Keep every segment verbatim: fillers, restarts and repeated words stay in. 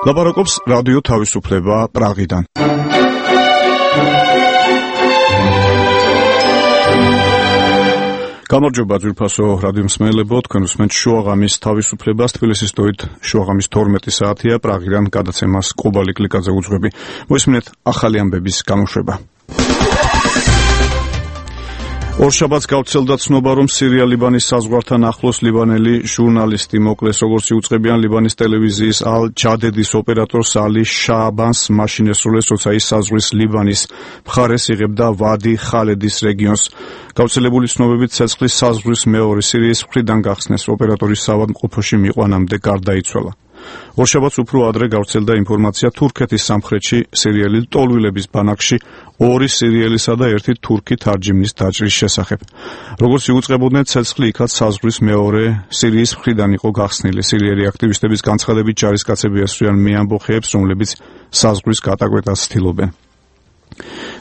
ლაპარაკობს რადიო თავისუფლება პრაღიდან. გამარჯობა ძვირფასო რადიო მსმენელებო, თქვენ უსმენთ შუაღამის თავისუფლებას, თბილისის დროით შუაღამის თორმეტი საათია, პრაღიდან გადაცემას კობალი კლიკაძე უძღვები. მოისმინეთ ახალი ამბების გამოშვება. ორშაბათს გავრცელდა ცნობა, რომ სირია-ლიბანის საზღვართან ახლოს ლიბანელი ჟურნალისტი მოკლეს, როგორც იუწყებიან ლიბანის ტელევიზიის ალ-ჯადედის ოპერატორს ალი შააბანს მაშინ ესრულეს, როცა ის საზღვრის ლიბანის მხარეს იღებდა ვადი ხალედის რეგიონს. გავრცელებული ცნობებით ცეცხლის საზღვრის მეორე სირიის მხრიდან გახსნეს, ოპერატორის საავადმყოფოში მიყვანამდე გარდაიცვალა. ორშაბათს უფრო ადრე გავრცელდა ინფორმაცია თურქეთის სამხრეთში სირიელი ლტოლვილების ბანაკში ორი სირიელისა და ერთი თურქი თარჯიმნის დაჭრის შესახებ. როგორც იუწყებოდნენ, ცეცხლი იქაც საზღვრის მეორე სირიის მხრიდან იყო გახსნილი. სირიელი აქტივისტების განცხადებით ჯარისკაცები ესვრიან მეამბოხეებს, რომლებიც საზღვრის გატაკვეთას ცდილობენ.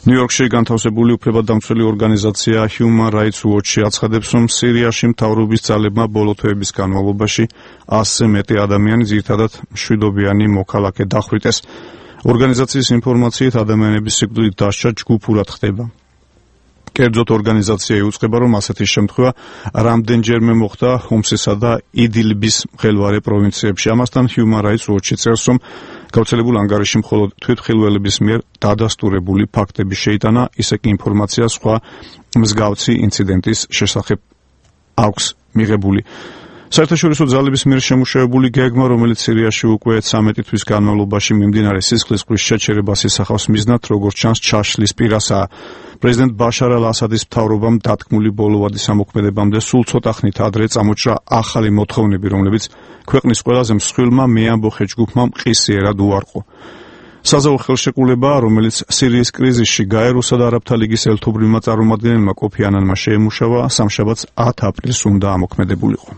ნიუ-იორკში განთავსებული უფლებადამცველი ორგანიზაცია Human Rights Watch აცხადებს, რომ სირიაში მთავრობის ძალებმა ბოლო თვეების განმავლობაში ასზე მეტი ადამიანი, ძირითადად მშვიდობიანი მოქალაქე დახვრიტეს. ორგანიზაციის ინფორმაციით ადამიანების სიკვდილით დასჯა ჯგუფურად ხდება. კერძოდ ორგანიზაცია იუწყება, რომ ასეთი შემთხვევა რამდენჯერმე მოხდა ჰომსისა და იდილბის მღელვარე პროვინციებში. ამასთან Human Rights Watch წერს, რომ გავრცელებულ ანგარიში მხოლოდ თვითმხილველების მიერ დადასტურებული ფაქტები შეიტანა, ისე კი ინფორმაცია სხვა მსგავსი ინციდენტის შესახებ აქვს მიღებული. საერთაშორისო ძალების მიერ შემუშავებული გეგმა, რომელიც სირიაში უკვე ცამეტი თვის განმავლობაში მიმდინარე სისხლისწყლის შეჩერებას ისახავს მიზნად, როგორც ჩანს, ჩაშლის პირასაა. პრეზიდენტ ბაშარ ალ-ასადის მთავრობამ დათქმული ბოლოვადი სამოქმედებამდე სულ ცოტა ხნით ადრე წამოჭრა ახალი მოთხოვნები, რომლებიც ქვეყნის ყველაზე მსხვილმა მეამბოხე ჯგუფმა მყისიერად უარყო. საზავო ხელშეკრულება, რომელიც სირიის კრიზისში გაეროსა და არაბთა ლიგის ელთობრივმა წარმომადგენელმა კოფი ანანმა შეემუშავა, სამშაბათს ათი აპრილს უნდა ამოქმედებულიყო.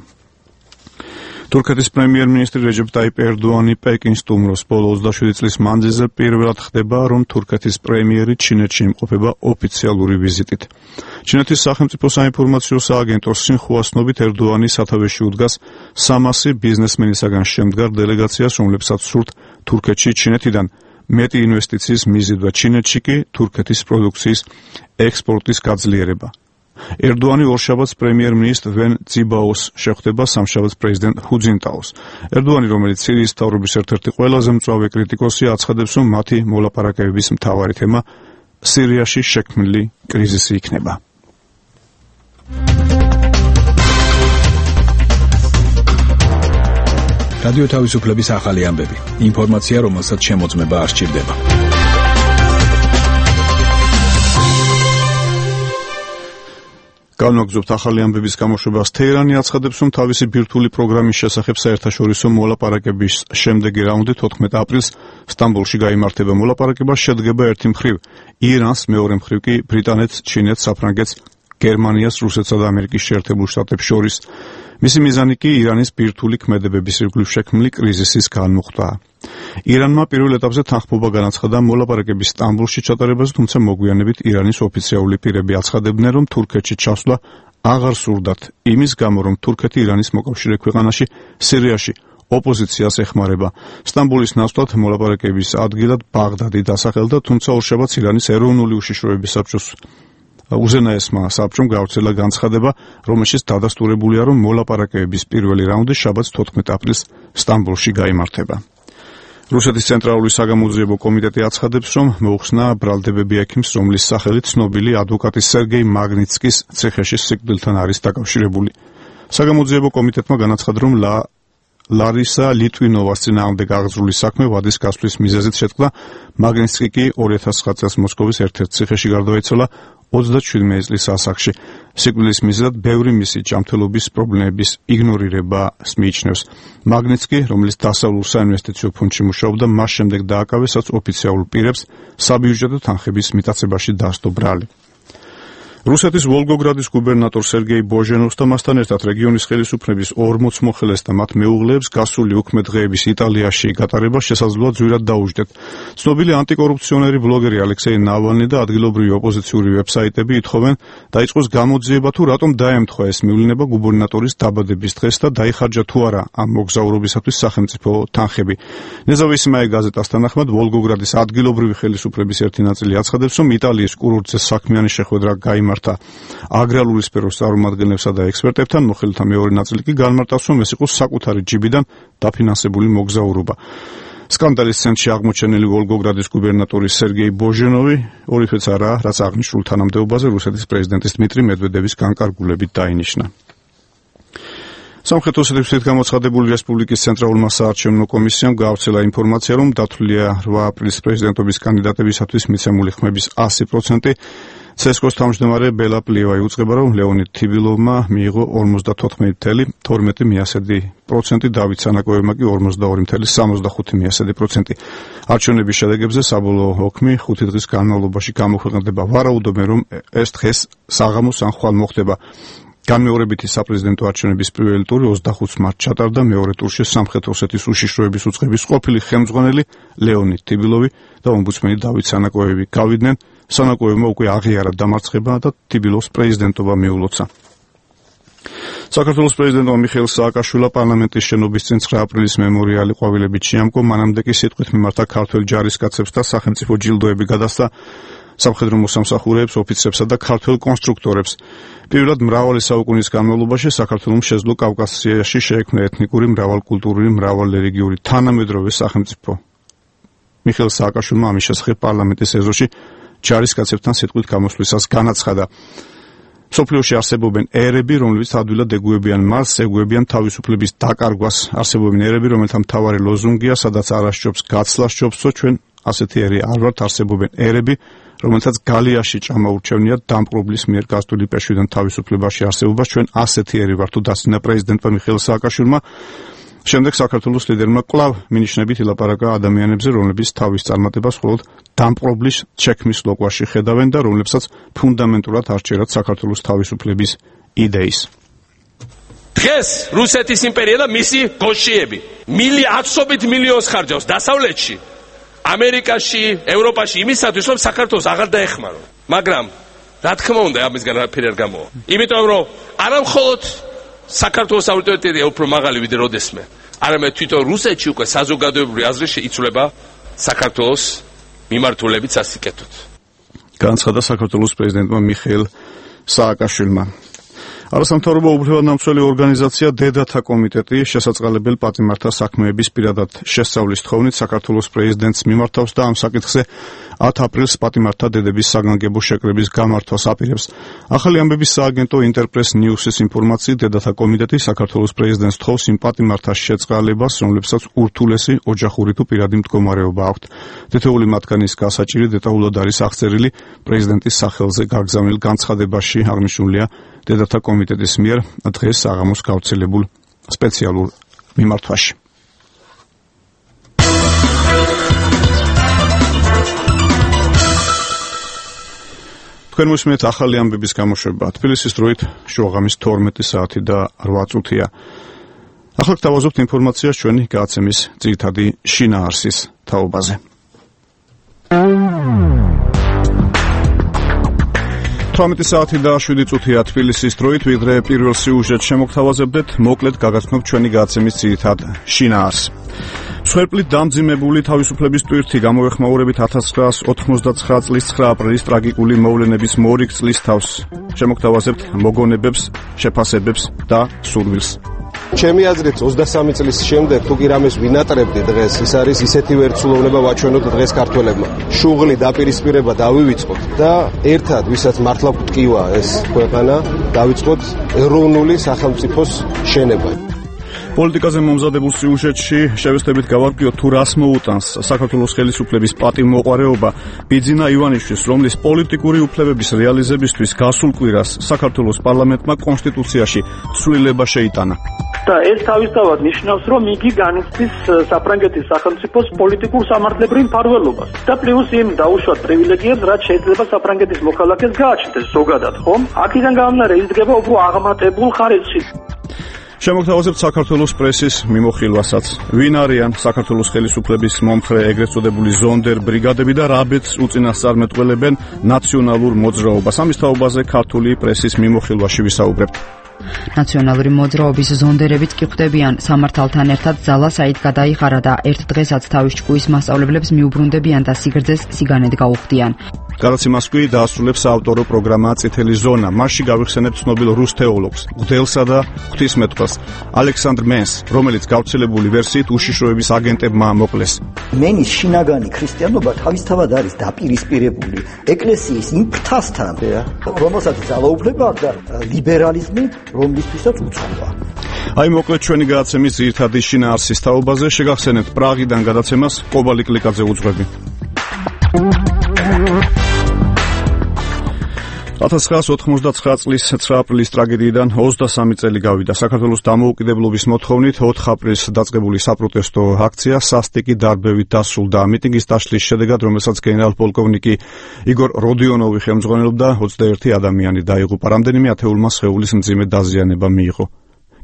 თურქეთის პრემიერ-მინისტრი რეჯეპ ტაიპ ერდოანი პეკინს სტუმრობს. ბოლო ოცდაშვიდი წლის მანძილზე პირველად ხდება, რომ თურქეთის პრემიერი ჩინეთში იმყოფება ოფიციალური ვიზიტით. ჩინეთის სახელმწიფო საინფორმაციო სააგენტოს სინხუას ცნობით, ერდოანი სათავეში უდგას სამასი ბიზნესმენისაგან შემდგარ დელეგაციას, რომლებსაც სურთ თურქეთში ჩინეთიდან მეტი ინვესტიციის მიზიდვა, ჩინეთში კი თურქეთის პროდუქციის ექსპორტის გაძლიერება. ერდოანი ორშაბათს პრემიერ-მინისტრ ვენ ძიბაოს შეხვდება სამშაბათს პრეზიდენტ ჰუ ძინტაოს. ერდოანი, რომელიც სირიის მთავრობის ერთ-ერთი ყველაზე მწვავე კრიტიკოსია, აცხადებს, რომ მათი მოლაპარაკებების მთავარი თემა სირიაში შექმნილი კრიზისი იქნება. რადიო თავისუფლების ახალი ამბები. ინფორმაცია, რომელსაც შემოწმება არ სჭირდება. განვაგრძობთ ახალი ამბების გამოშვებას. თეირანი აცხადებს, რომ თავისი ბირთვული პროგრამის შესახებ საერთაშორისო მოლაპარაკების შემდეგი რაუნდი თოთხმეტ აპრილს სტამბოლში გაიმართება. მოლაპარაკება შედგება ერთი მხრივ ირანს, მეორე მხრივ კი ბრიტანეთს, ჩინეთს, საფრანგეთს, გერმანიას, რუსეთსა და ამერიკის შეერთებულ შტატებს შორის. მისი მიზანი კი ირანის ბირთვული ქმედებების ირგვლივ შექმნილი კრიზისის განმუხტვაა. ირანმა პირველ ეტაპზე თანხმობა განაცხადა მოლაპარაკების სტამბოლში ჩატარებაზე, თუმცა მოგვიანებით ირანის ოფიციალური პირები აცხადებდნენ, რომ თურქეთში ჩასვლა აღარ სურდათ, იმის გამო, რომ თურქეთი ირანის მოკავშირე ქვეყანაში სირიაში ოპოზიციას ეხმარება. სტამბოლის ნაცვლად მოლაპარაკების ადგილად ბაღდადი დასახელდა, თუმცა ორშაბათს ირანის ეროვნული უშიშროების საბჭოს უზენაესმა საბჭომ გავრცელა განცხადება, რომელშიც დადასტურებულია, რომ მოლაპარაკებების პირველი რაუნდი შაბათს თოთხმეტ აპრილს სტამბოლში გაიმართება. რუსეთის ცენტრალური საგამოძიებო კომიტეტი აცხადებს, რომ მოუხსნა ბრალდებები ექიმს, რომლის სახელით ცნობილი ადვოკატი სერგეი მაგნიცკის ციხეში სიკვდილთან არის დაკავშირებული. საგამოძიებო კომიტეტმა განაცხადა, რომ ლა ლარისა ლიტვინოვას წინააღმდეგ აღძრული საქმე ვადის გასვლის მიზეზით შეწყდა. მაგნიცკი კი ორი ათას ცხრა წელს მოსკოვის ერთ-ერთ ციხეში გარდაიცვალა ოცდაშვიდმეტი წლის ასაკში. სიკვდილის მიზეზად ბევრი მისი ჯანმრთელობის პრობლემების იგნორირებას მიიჩნევს. მაგნიცკი, რომელიც დასავლურ საინვესტიციო ფონდში მუშაობდა, მას შემდეგ დააკავეს, რაც ოფიციალურ პირებს საბიუჯეტო თანხების მიტაცებაში დასდო ბრალი. რუსეთის ვოლგოგრადის გუბერნატორ სერგეი ბოჟენოვს და მასთან ერთად რეგიონის ხელისუფლების ორმოც მოხელეს და მათ მეუღლეებს გასული უქმე დღეების იტალიაში გატარება შესაძლოა ძვირად დაუჯდეთ. ცნობილი ანტიკორუფციონერი ბლოგერი ალექსეი ნავალნი და ადგილობრივი ოპოზიციური ვებსაიტები ითხოვენ დაიწყოს გამოძიება თუ რატომ დაემთხვა ეს მივლინება გუბერნატორის დაბადების დღეს და დაიხარჯა თუ არა ამ მოგზაურობისათვის სახელმწიფო თანხები. ნეზავისიმაია გაზეტას თანახმად ვოლგოგრადის ადგილობრივი ხელისუფლების ერთი ნაწილი აცხადებს, რომ იტალიის კურორტზე საქმიანი შეხვედრა გაიმართა აგრარული სფეროს წარმომადგენლებსა და ექსპერტებთან, მოხელეთა მეორე ნაწილი კი განმარტავს, რომ ეს იყო საკუთარი ჯიბიდან დაფინანსებული მოგზაურობა. სკანდალის ცენტრში აღმოჩენილი ვოლგოგრადის გუბერნატორი სერგეი ბოჟენოვი ორიფეც არაა, რაც აღნიშნულ თანამდებობაზე რუსეთის პრეზიდენტის დმიტრი მედვედევის განკარგულებით დაინიშნა. სამხრეთ ოსეთის გამოცხადებული რესპუბლიკის ცენტრალურმა საარჩევნო კომისიამ გაავრცელა ინფორმაცია, რომ დათვლილია რვა აპრილის პრეზიდენტობის კანდიდატებისათვის მიცემული ხმების ასი პროცენტი. ცესკოს თავმჯდომარე ბელა პლიევაი უწყება, რომ ლეონიდ თიბილოვმა მიიღო ორმოცდათოთხმეტი წუთი თორმეტი მიასედი პროცენტი, დავით სანაკოევმა კი ორმოცდაორი წუთი სამოცდახუთი მიასედი პროცენტი. არჩევნების შედეგებზე საბოლოო ოქმი ხუთი დღის განმავლობაში გამოქვეყნდება. ვარაუდობენ, რომ ეს დღეს საღამოს ან ხვალ მოხდება. განმეორებითი საპრეზიდენტო არჩევნების პირველი ტური ოცდახუთი მარტს ჩატარდა. მეორე ტურში სამხრეთ ოსეთის უშიშროების უწყების ყოფილი ხელმძღვანელი ლეონიდ თიბილოვი და ომბუდსმენი დავით სანაკოევი გავიდნენ. სანაკოევმა უკვე აღიარა დამარცხება და თიბილოვს პრეზიდენტობა მიულოცა. საქართველოს პრეზიდენტმა მიხეილ სააკაშვილმა პარლამენტის შენობის წინ ცხრა აპრილის მემორიალი ყვავილებით შეამკო, მანამდე კი სიტყვით მიმართა ქართველ ჯარისკაცებს და სახელმწიფო ჯილდოები გადასცა სამხედრო მოსამსახურეებს, ოფიცრებსა და ქართველ კონსტრუქტორებს. პირველად მრავალი საუკუნის განმავლობაში საქართველოს შეძლო კავკასიაში შეექმნა ეთნიკური, მრავალკულტურული, მრავალრელიგიური თანამედროვე სახელმწიფო. მიხეილ სააკაშვილმა ამის შესახებ პარლამენტის ეზოში ჯარისკაცებთან სიტყვით გამოსვლისას განაცხადა. მსოფლიოში არსებობენ ერები, რომლებიც ადვილად ეგუებიან მას, ეგუებიან თავისუფლების დაკარგვას. არსებობენ ერები, რომელთა მთავარი ლოზუნგია, სადაც არ ასჯობს გაცლა სჯობსო, ჩვენ ასეთი ერი არ ვართ. არსებობენ ერები, რომელთაც გალიაში ჭამა ურჩევნია დამპყრობლის მიერ გასული პეშვიდან თავისუფლებაში არსებობას. ჩვენ ასეთი ერი ვართ, თუ დასცინა პრეზიდენტმა მიხეილ სააკაშვილმა. შემდეგ საქართველოს ლიდერმა კვლავ მინიშნებით ილაპარაკა ადამიანებზე, რომლებიც თავის წარმატებას მხოლოდ დამპყრობლის ჩექმის ლოკვაში ხედავენ და რომლებსაც ფუნდამენტურად არ სჯერათ საქართველოს თავისუფლების იდეის. დღეს რუსეთის იმპერია და მისი გოშიები ათობით მილიონს ხარჯავს დასავლეთში, ამერიკაში, ევროპაში იმისათვის, რომ საქართველოს აღარ დაეხმარონ. მაგრამ რა თქმა უნდა, ამისგან არაფერი არ გამოვა. იმიტომ რომ არა მხოლოდ საქართველოს ავტორიტეტია უფრო მაღალი ვიდრე როდესმე, არამედ თვითონ რუსეთში უკვე საზოგადოებრივი აზრი შეიცვლება საქართველოს მიმართულებით სასიკეთოდ. განაცხადა საქართველოს პრეზიდენტმა მიხეილ სააკაშვილმა. არასამთავრობო უფლებადამცველი ორგანიზაცია დედათა კომიტეტი შესაწყალებელ პატიმართა საქმეების პირადად შესწავლის თხოვნით საქართველოს პრეზიდენტს მიმართავს და ამ საკითხზე ათი აპრილს პატიმართა დედების საგანგებო შეკრების გამართვას აპირებს. ახალი ამბების სააგენტო ინტერპრეს ნიუსის ინფორმაციით, დედათა კომიტეტი საქართველოს პრეზიდენტს თხოვს იმ პატიმართას შეწყალებას, რომლებსაც ურთულესი ოჯახური თუ პირადი მდგომარეობა აქვთ. თითოეული მათგანის გასაჭირი დეტალურად არის აღწერილი პრეზიდენტის სახელზე გაგზავნილ განცხადებაში, აღნიშნულია დედათა კომიტეტის მიერ დღეს საღამოს გავრცელებულ სპეციალურ მიმართვაში. თქვენ მოსმენთ ახალი ამბების გამოშვება. თბილისის დროით შუაღამის თორმეტი საათი და რვა წუთია. ახლა გთავაზობთ ინფორმაციას ჩვენი გადაცემის ძირითადი შინაარსის თაობაზე. თორმეტი საათი და შვიდი წუთია თბილისის დროით, ვიდრე პირველ სიუჟეტს შემოგთავაზებდეთ, მოკლედ გაგაცნობთ ჩვენი გადაცემის ძირითად შინაარსს. მსხვერპლით დამძიმებული თავისუფლების ტვირთი გამოეხმაურებით ათას ცხრაას ოთხმოცდაცხრა წლის ცხრა აპრილის ტრაგიკული მოვლენების მორიგ წლის თავს. შემოგთავაზებთ მოგონებებს, შეფასებებს და სურვილს. ჩემი აზრით ოცდასამი წლის შემდეგ თუ კი რამეს ვინატრებდი დღეს, ის არის ისეთი ვერცულოვნება ვაჩვენოთ დღეს ქართველებმა. შუღლი დაპირისპირება დავივიწყოთ და ერთად, ვისაც მართლა გვტკივა ეს ქვეყანა, დავიწყოთ ეროვნული სახელმწიფოს შენება. პოლიტიკაზე მომზადებულ სიუჟეტში შევესწრებით გავარკვიოთ თუ რას მოუტანს საქართველოს ხელისუფლების პატივმოყვარეობა ბიძინა ივანიშვილის, რომლის პოლიტიკური უფლებების რეალიზებისთვის გასულ კვირას საქართველოს პარლამენტმა კონსტიტუციაში ცვლილება შეიტანა. და ეს თავისთავად ნიშნავს, რომ იგი განიცდის საფრანგეთის სახელმწიფოს პოლიტიკურ სამართლებრივ მფარველობას და პლუს იმ დაუშვათ პრივილეგიებს, რაც შეიძლება საფრანგეთის მოქალაქეს გააჩნდეს ზოგადად, ხომ? აქედან გამომდინარე იზრდება უფრო აღმატებულ ხარისხში. შემოგთავაზებთ საქართველოს პრესის მიმოხილვასაც. ვინ არიან საქართველოს ხელისუფლების მომხრე ეგრეთ წოდებული ზონდერ ბრიგადები და რა ბედს უწინასწარმეტყველებენ ნაციონალურ მოძრაობას? ამის თაობაზე ქართული პრესის მიმოხილვაში ვისაუბრებთ. ნაციონალური მოძრაობის ზონდერებიც კი ხვდებიან სამართალთან ერთად ძალა საით გადაიხარა და ერთ დღესაც თავის ჭკუის მასწავლებლებს მიუბრუნდებიან და სიგრძეს სიგანედ გაუხდიან. გარაცი მასკვი დაასრულებს საავტორო პროგრამა წითელი ზონა. მასში გავიხსენებთ ცნობილ რუს თეოლოგს, მღვდელსა და ღვთისმეტყველს ალექსანდრ მენს, რომელიც გავრცელებული ვერსიით უშიშროების აგენტებმა მოკლეს. მენის შინაგანი ქრისტიანობა თავისთავად არის დაპირისპირებული ეკლესიის იმ ფრთასთან, რომელსაც ძალაუფლება აქვს და ლიბერალიზმი, რომლისთვისაც უცხოა. აი მოკლედ ჩვენი გადაცემის ძირითადი შინაარსის თაობაზე შეგახსენებთ პრაღიდან გადაცემას კობალი კლიკაძე უძღვები. ათას ცხრაას ოთხმოცდაცხრა წლის ცხრა აპრილის ტრაგედიიდან ოცდასამი წელი გავიდა. საქართველოს დამოუკიდებლობის მოთხოვნით ოთხ აპრილს დაწყებული საპროტესტო აქცია სასტიკი დარბევით დასრულდა. მიტინგის დაშლის შედეგად, რომელსაც გენერალ-პოლკოვნიკი იგორ როდიონოვი ხელმძღვანელობდა, ოცდაერთი ადამიანი დაიღუპა. რამდენიმე ათეულმა სხეულის მძიმე დაზიანება მიიღო.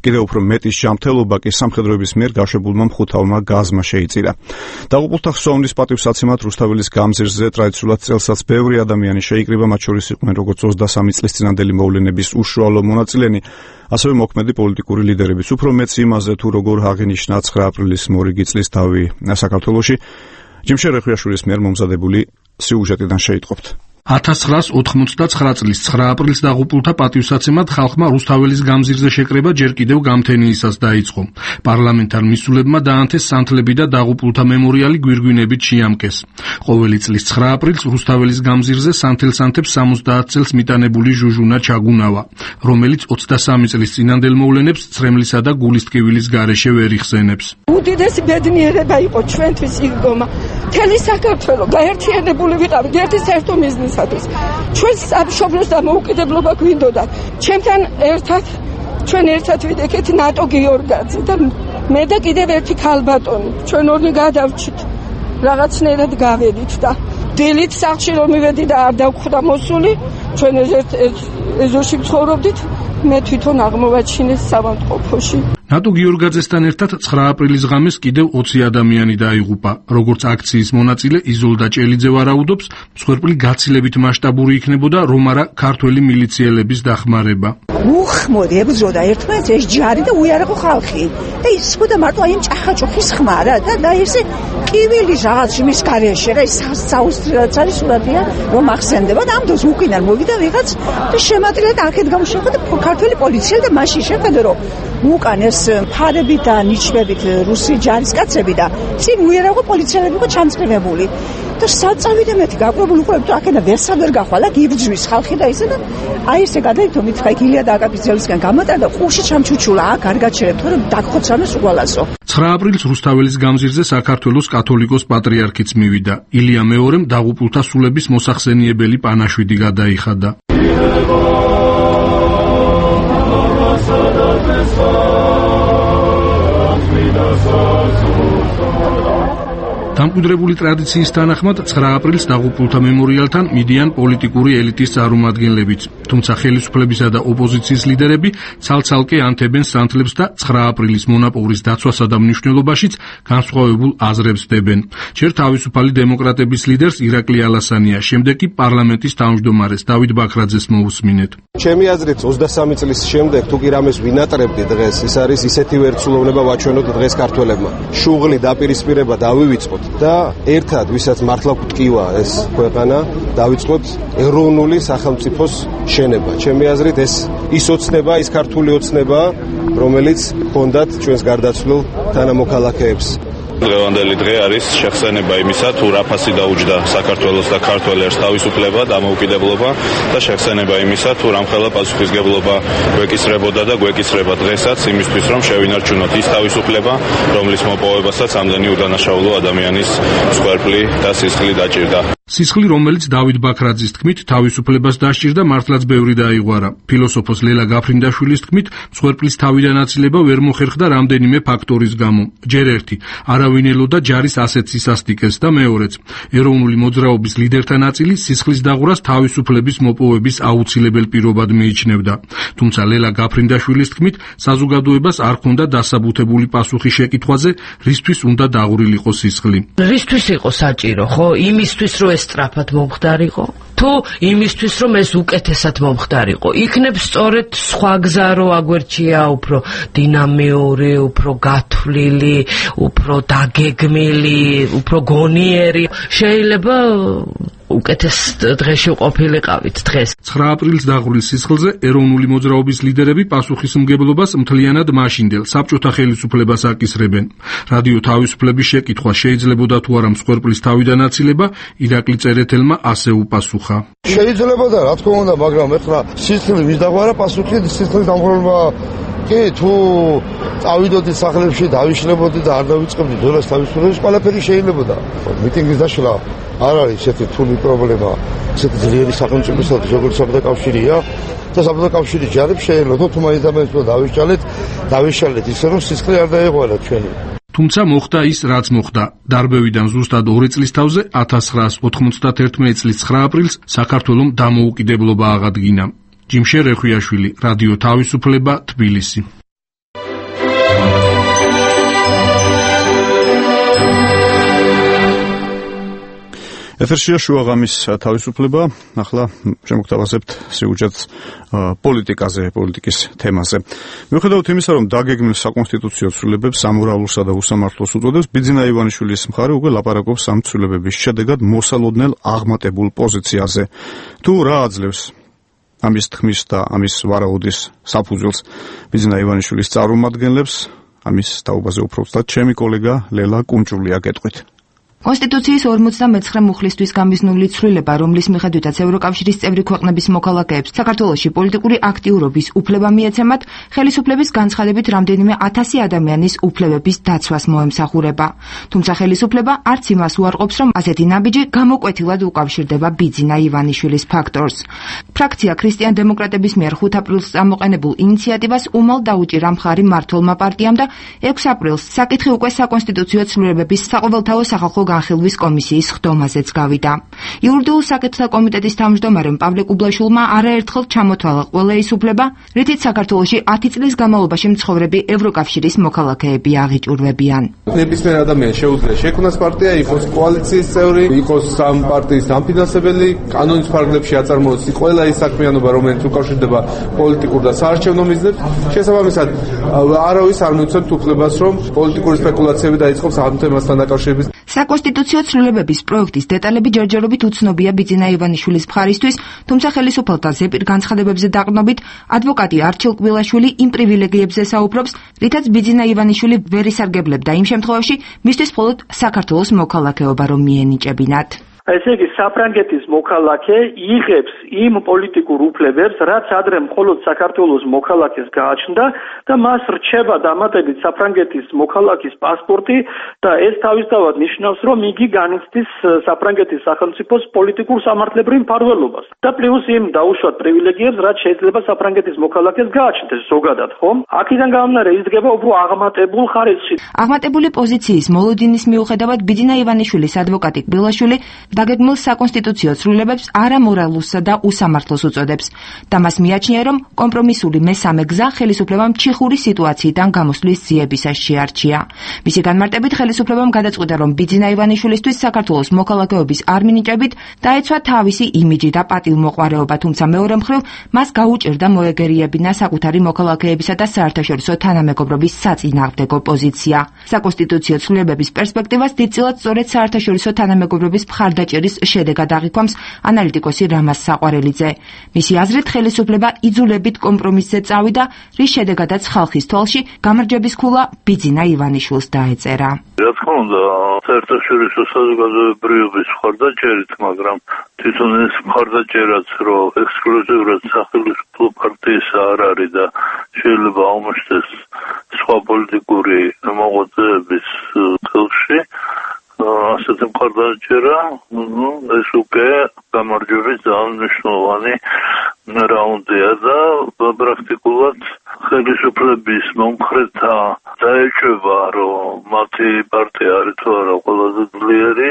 კიდევ უფრო მეტი ჯანმრთელობა კი სამხედროების მიერ გაშვებულმა მხუთავმა გაზმა შეიწირა. დაღუპულთა ხსოვნის პატივსაცემად რუსთაველის გამზირზე ტრადიციულად წელსაც ბევრი ადამიანი შეიკრიბა, მათ შორის იყვნენ როგორც ოცდასამი წლის წინანდელი მოვლენების უშუალო მონაწილენი, ასევე მოქმედი პოლიტიკური ლიდერებიც. უფრო მეც იმაზე, თუ როგორ აღინიშნა ცხრა აპრილის მორიგი წლის დავი საქართველოში, ჯიმშე რეხვიაშვილის მიერ მომზადებული სიუჟეტიდან შეიტყობთ. ათას ცხრაას ოთხმოცდაცხრა წლის ცხრა აპრილს დაღუპულთა პატივსაცემად ხალხმა რუსთაველის გამზირზე შეკრება ჯერ კიდევ გამთენიისას დაიწყო. პარლამენტარ მისულებმა დაანთეს სანთლები და დაღუპულთა მემორიალი გვირგვინებით შეამკეს. ყოველი წლის ცხრა აპრილს რუსთაველის გამზირზე სანთელ-სანთებს სამოცდაათ წელს მიტანებული ჟუჟუნა ჩაგუნავა, რომელიც ოცდასამი წლის წინანდელ მოვლენებს ცრემლისა და გულის ტკივილის გარეშე ვერ იხსენებს. უდიდესი ბედნიერება იყო ჩვენთვის იგდომა. მთელი საქართველო გაერთიანებული ვიყავით ერთი საერთო მიზნისათვის. ჩვენ სამშობლოს დამოუკიდებლობა გვინდოდა. ჩემთან ერთად ჩვენ ერთად ვიდექეთ ნატო გიორგაძე და მე და კიდევ ერთი ქალბატონი. ჩვენ ორი გადავრჩით. რაღაცნაირად გავედით და დილით სახლში რომ მივედი და არ დავხვდა მოსული, ჩვენ ერთ ეზოში ცხოვრობდით. მე თვითონ აღმოვაჩინეს სამავთყოფოში. ნატო გიორგაძესთან ერთად ცხრა აპრილის ღამეს კიდევ ოცი ადამიანი დაიღუპა. როგორც აქციის მონაწილე იზოლდა ჭელიძე ვარაუდობს, მსხვერპლი გაცილებით მასშტაბური იქნებოდა, რომ არა ქართველი მილიციელების დახმარება. უხ, მოდი ებრძოდა ერთმანეთს ეს ჯარი და უიარაღო ხალხი. და ის ხოდა მარტო აი ჭახაჭუხის ხმა რა და და ესე კივილი რაღაც მის გარეშე რა ის საუსტრიაც არის სურათია რომ ახსენდება და ამ დროს უკინარ მოვიდა ვიღაც და შემატილა და აქეთ გამოშეხვდა და ქართველი პოლიცია და მაშინ შეხედა რომ უკან ეს ფარები და ნიჩბებით რუსი ჯარისკაცები და წინ უიარაღო პოლიციელები იყო ჩამწკრივებული და საწავიდა მეთი გაკვირვებული უკვე აქედა ვერსად ვერ გახვალა გიბძვის ხალხი და ისე და აი ესე გადაიქო მითხა გილია და აკაპიძელისგან გამატა და ყურში ჩამჩუჩულა აქ არ გაჩერებ თორემ დაგხოცანოს უყალასო. ცხრა აპრილს რუსთაველის გამზირზე საქართველოს კათოლიკოს პატრიარქიც მივიდა. ილია მეორემ დაღუპულთა სულების მოსახსენიებელი პანაშვიდი გადაიხადა. დამკვიდრებული ტრადიციის თანახმად ცხრა აპრილს დაღუპულთა მემორიალთან მიდიან პოლიტიკური ელიტის წარმომადგენლებიც, თუმცა ხელისუფლებისა და ოპოზიციის ლიდერები ცალ-ცალკე ანთებენ სანთლებს და ცხრა აპრილის მონაპოვრის დაცვასა და მნიშვნელობაშიც განსხვავებულ აზრებს დებენ. ჯერ თავისუფალი დემოკრატების ლიდერს ირაკლი ალასანია, შემდეგ კი პარლამენტის თავმჯდომარეს დავით ბაქრაძეს მოусმინეთ. ჩემი აზრით ოცდასამი წლის შემდეგ თუ კი რამეს ვინატრებდი დღეს, ის არის ისეთი ვერცულოვნება ვაჩვენოთ დღეს ქართველებმა. შუღლი დაპირისპირება დავივიწყოთ და ერთად ვისაც მართლა გვტკივა ეს ქვეყანა დავიწყოთ ეროვნული სახელმწიფოს შენება. ჩემი აზრით ეს ის ოცნება, ის ქართული ოცნება, რომელიც ჰქონდათ ჩვენს გარდაცვლილ თანამოქალაქეებს. დღევანდელი დღე არის შეხსენება იმისა, თუ რა ფასი დაუჯდა საქართველოს და ქართველ ერს თავისუფლება, დამოუკიდებლობა და შეხსენება იმისა, თუ რამხელა პასუხისგებლობა გვეკისრებოდა და გვეკისრება დღესაც იმისთვის, რომ შევინარჩუნოთ ის თავისუფლება, რომლის მოპოვებასაც ამდენი უდანაშაულო ადამიანის მსხვერპლი და სისხლი დაჭირდა. სისხლი, რომელიც დავით ბაქრაძის თქმით თავისუფლებას დასჭირდა, მართლაც ბევრი დაიღვარა. ფილოსოფოს ლელა გაფრინდაშვილის თქმით, მსხვერპლის თავიდანაწილება ვერ მოხერხდა რამდენიმე ფაქტორის გამო. ჯერ ერთი, არავინ ელოდა ჯარის ასეთ სისასტიკეს და მეორეც, ეროვნული მოძრაობის ლიდერთა ნაწილი სისხლის დაღვრას თავისუფლების მოპოვების აუცილებელ პირობად მიიჩნევდა. თუმცა ლელა გაფრინდაშვილის თქმით, საზოგადოებას არ ჰქონდა დასაბუთებული პასუხი შეკითხვაზე, რისთვის უნდა დაღვრილიყო სისხლი. რისთვის იყო საჭირო, ხო? იმისთვის, რომ ეს სწრაფად მომხდარიყო? თუ იმისთვის, რომ ეს უკეთესად მომხდარიყო? იქნებ სწორედ სხვა გზა რო აგვერჩია, უფრო დინამიური, უფრო გათვლილი, უფრო დაგეგმილი, უფრო გონიერი. შეიძლება უკეთეს დღეში ყოფილიყავით დღეს. ცხრა აპრილის დაღვრილ სისხლზე ეროვნული მოძრაობის ლიდერები პასუხისმგებლობას მთლიანად მაშინდელ საბჭოთა ხელისუფლებას აკისრებენ. რადიო თავისუფლების შეკითხვა შეიძლებოდა თუ არა მსხვერპლის თავიდანაწილება, ირაკლი წერეთელმა ასე უპასუხა. შეიძლებოდა, რა თქმა უნდა, მაგრამ ეხლა სისხლი ვის დაგვარა პასუხი სისხლის დამღვრელობა კი თუ წავიდოდი სახლებში დავიშლებოდი და არ დავიწყებდი დოლას თავისუფლების ყველაფერი შეიძლებოდა. მიტინგის დაშლა არ არის ესეთი რთული პრობლემა, ესეთი ძლიერი სახელმწიფოსა და როგორც საბჭოთა კავშირია და საბჭოთა კავშირის ჯარებს შეიძლება თუ მაინც ამას დავიშალეთ, დავიშალეთ ისე რომ სისხლი არ დაეღვარა ჩვენი. თუმცა მოხდა ის, რაც მოხდა. დარბევიდან ზუსტად ორი წლის თავზე ათას ცხრაას ოთხმოცდაათერთმეტი წლის ცხრა აპრილს საქართველომ დამოუკიდებლობა აღადგინა. ჯიმშე რეხვიაშვილი, რადიო თავისუფლება, თბილისი. ეთერშია შუაღამის თავისუფლება. ახლა შემოგთავაზებთ სიუჟეტს პოლიტიკაზე, პოლიტიკის თემაზე. მიუხედავად იმისა, რომ დაგეგმილ საკონსტიტუციო ცვლილებებს სამორალურსა და უსამართლოს უწოდებს, ბიძინა ივანიშვილის მხარე უკვე ლაპარაკობს ამ ცვლილებების შედეგად მოსალოდნელ აღმატებულ პოზიციაზე. თუ რა აძლევს ამის თქმის და ამის ვარაუდის საფუძველს ბიძინა ივანიშვილის წარმომადგენლებს, ამის დაუბაზე უფრო ვსწრაფად ჩემი კოლეგა ლელა კუნჭულია გეტყვით. კონსტიტუციის ორმოცდამეცხრე მუხლისთვის გამიზნული ცვლილება, რომლის მიხედვითაც ევროკავშირის წევრი ქვეყნების მოქალაქეებს საქართველოში პოლიტიკური აქტიურობის უფლება მიეცემათ, ხელისუფლების განცხადებით რამდენიმე ათასი ადამიანის უფლებების დაცვას მოემსახურება. თუმცა ხელისუფლება არც იმას უარყოფს, რომ ასეთი ნაბიჯი გამოკვეთილად უკავშირდება ბიძინა ივანიშვილის ფაქტორს. ფრაქცია ქრისტიან დემოკრატების მიერ ხუთ აპრილს წამოყენებულ ინიციატივას უმალ დაუჭირა მხარი მმართველმა პარტიამ და ექვსი აპრილს საკითხი უკვე საკონსტიტუციო ცვლილებების საყოველთაო სახალხო განხილვის კომისიის ხდომაზეც გავიდა. იურიდიულ საკითხთა კომიტეტის თავმჯდომარემ პავლე კუბლაშვილმა არაერთხელ ჩამოთვალა ყველა ის უფლება, რითიც საქართველოში ათი წლის განმავლობაში მცხოვრები ევროკავშირის მოქალაქეები აღიჭურვებიან. ნებისმიერ ადამიანს შეუძლია შექმნას პარტია, იყოს კოალიციის წევრი, იყოს სამ პარტიის დამფინანსებელი, კანონის ფარგლებში აწარმოოს ყველა ის საქმიანობა, რომელიც უკავშირდება პოლიტიკურ და საარჩევნო მიზნებს. შესაბამისად, არავის არ მიცემთ უფლებას, რომ პოლიტიკური სპეკულაციები დაიწყოს ამ თემასთან დაკავშირებით. საკონსტიტუციო ცვლილებების პროექტის დეტალები ჯერჯერობით უცნობია ბიძინა ივანიშვილის მხარისთვის, თუმცა ხელისუფალთა ზეპირ განცხადებებზე დაყრდნობით ადვოკატი არჩილ კბილაშვილი იმ პრივილეგიებზე საუბრობს, რითაც ბიძინა ივანიშვილი ვერ ისარგებლებდა იმ შემთხვევაში, მისთვის მხოლოდ საქართველოს მოქალაქეობა რომ მიენიჭებინათ. ესე იგი, საფრანგეთის მოქალაქე იღებს იმ პოლიტიკურ უფლებებს, რაც ადრე მხოლოდ საქართველოს მოქალაქეს გააჩნდა და მას რჩება დამატებით საფრანგეთის მოქალაქის პასპორტი და ეს თავისთავად ნიშნავს, რომ იგი განიცდის საფრანგეთის სახელმწიფოს პოლიტიკურ სამართლებრივ მფარველობას. და პლუს იმ დაუშვათ პრივილეგიებს, რაც შეიძლება საფრანგეთის მოქალაქეს გააჩნდეს ზოგადად, ხომ? აქედან გამომდინარე იზრდება უფრო აღმატებულ ხარისხში. აღმატებული პოზიციის მოლოდინის მიუხედავად ბიძინა ივანიშვილის ადვოკატი კბილაშვილი დაგეგმილ საკონსტიტუციო ცვლილებებს არამორალურსა და უსამართლოს უწოდებს და მას მიაჩნია, რომ კომპრომისული მესამე გზა ხელისუფლებამ ჩიხური სიტუაციიდან გამოსვლის ძიებისას შეარჩია. მისი განმარტებით ხელისუფლებამ გადაწყვიტა, რომ ბიძინა ივანიშვილისთვის საქართველოს მოქალაქეობის არ მინიჭებით დაეცვა თავისი იმიჯი და პატივმოყვარეობა, თუმცა მეორე მხრივ მას გაუჭირდა მოეგერიებინა საკუთარი მოქალაქეებისა და საერთაშორისო თანამეგობრობის საწინააღმდეგო პოზიცია. საკონსტიტუციო ცვლილებების პერსპექტივას დიდწილად სწორედ საერთაშორისო თანამეგობრობის მხარდაჭერა მხეჭერის შედეგად აღიქვამს ანალიტიკოსი რამაზ საყვარელიძე. მისი აზრით, ხელისუფლება იძულებით კომპრომისზე წავიდა, რის შედეგადაც ხალხის თვალში გამარჯვების ქულა ბიძინა ივანიშვილს დაეწერა. რა თქმა უნდა, საერთაშორისო საზოგადოებრივობის მხარდაჭერით, მაგრამ თვითონ ეს მხარდაჭერაც რომ ექსკლუზიურად სახელმწიფო პარტიის არ არის და შეიძლება აღმოჩნდეს სხვა პოლიტიკური მოღვაწეების ხელში, ასეთი მხარდაჭერა, ну, ეს უკვე გამარჯვების ძალიან მნიშვნელოვანი რაუნდია და პრაქტიკულად ხელისუფლების მომხრეთა დაეჭვება, რომ მათი პარტია არის თუ არა ყველაზე ძლიერი,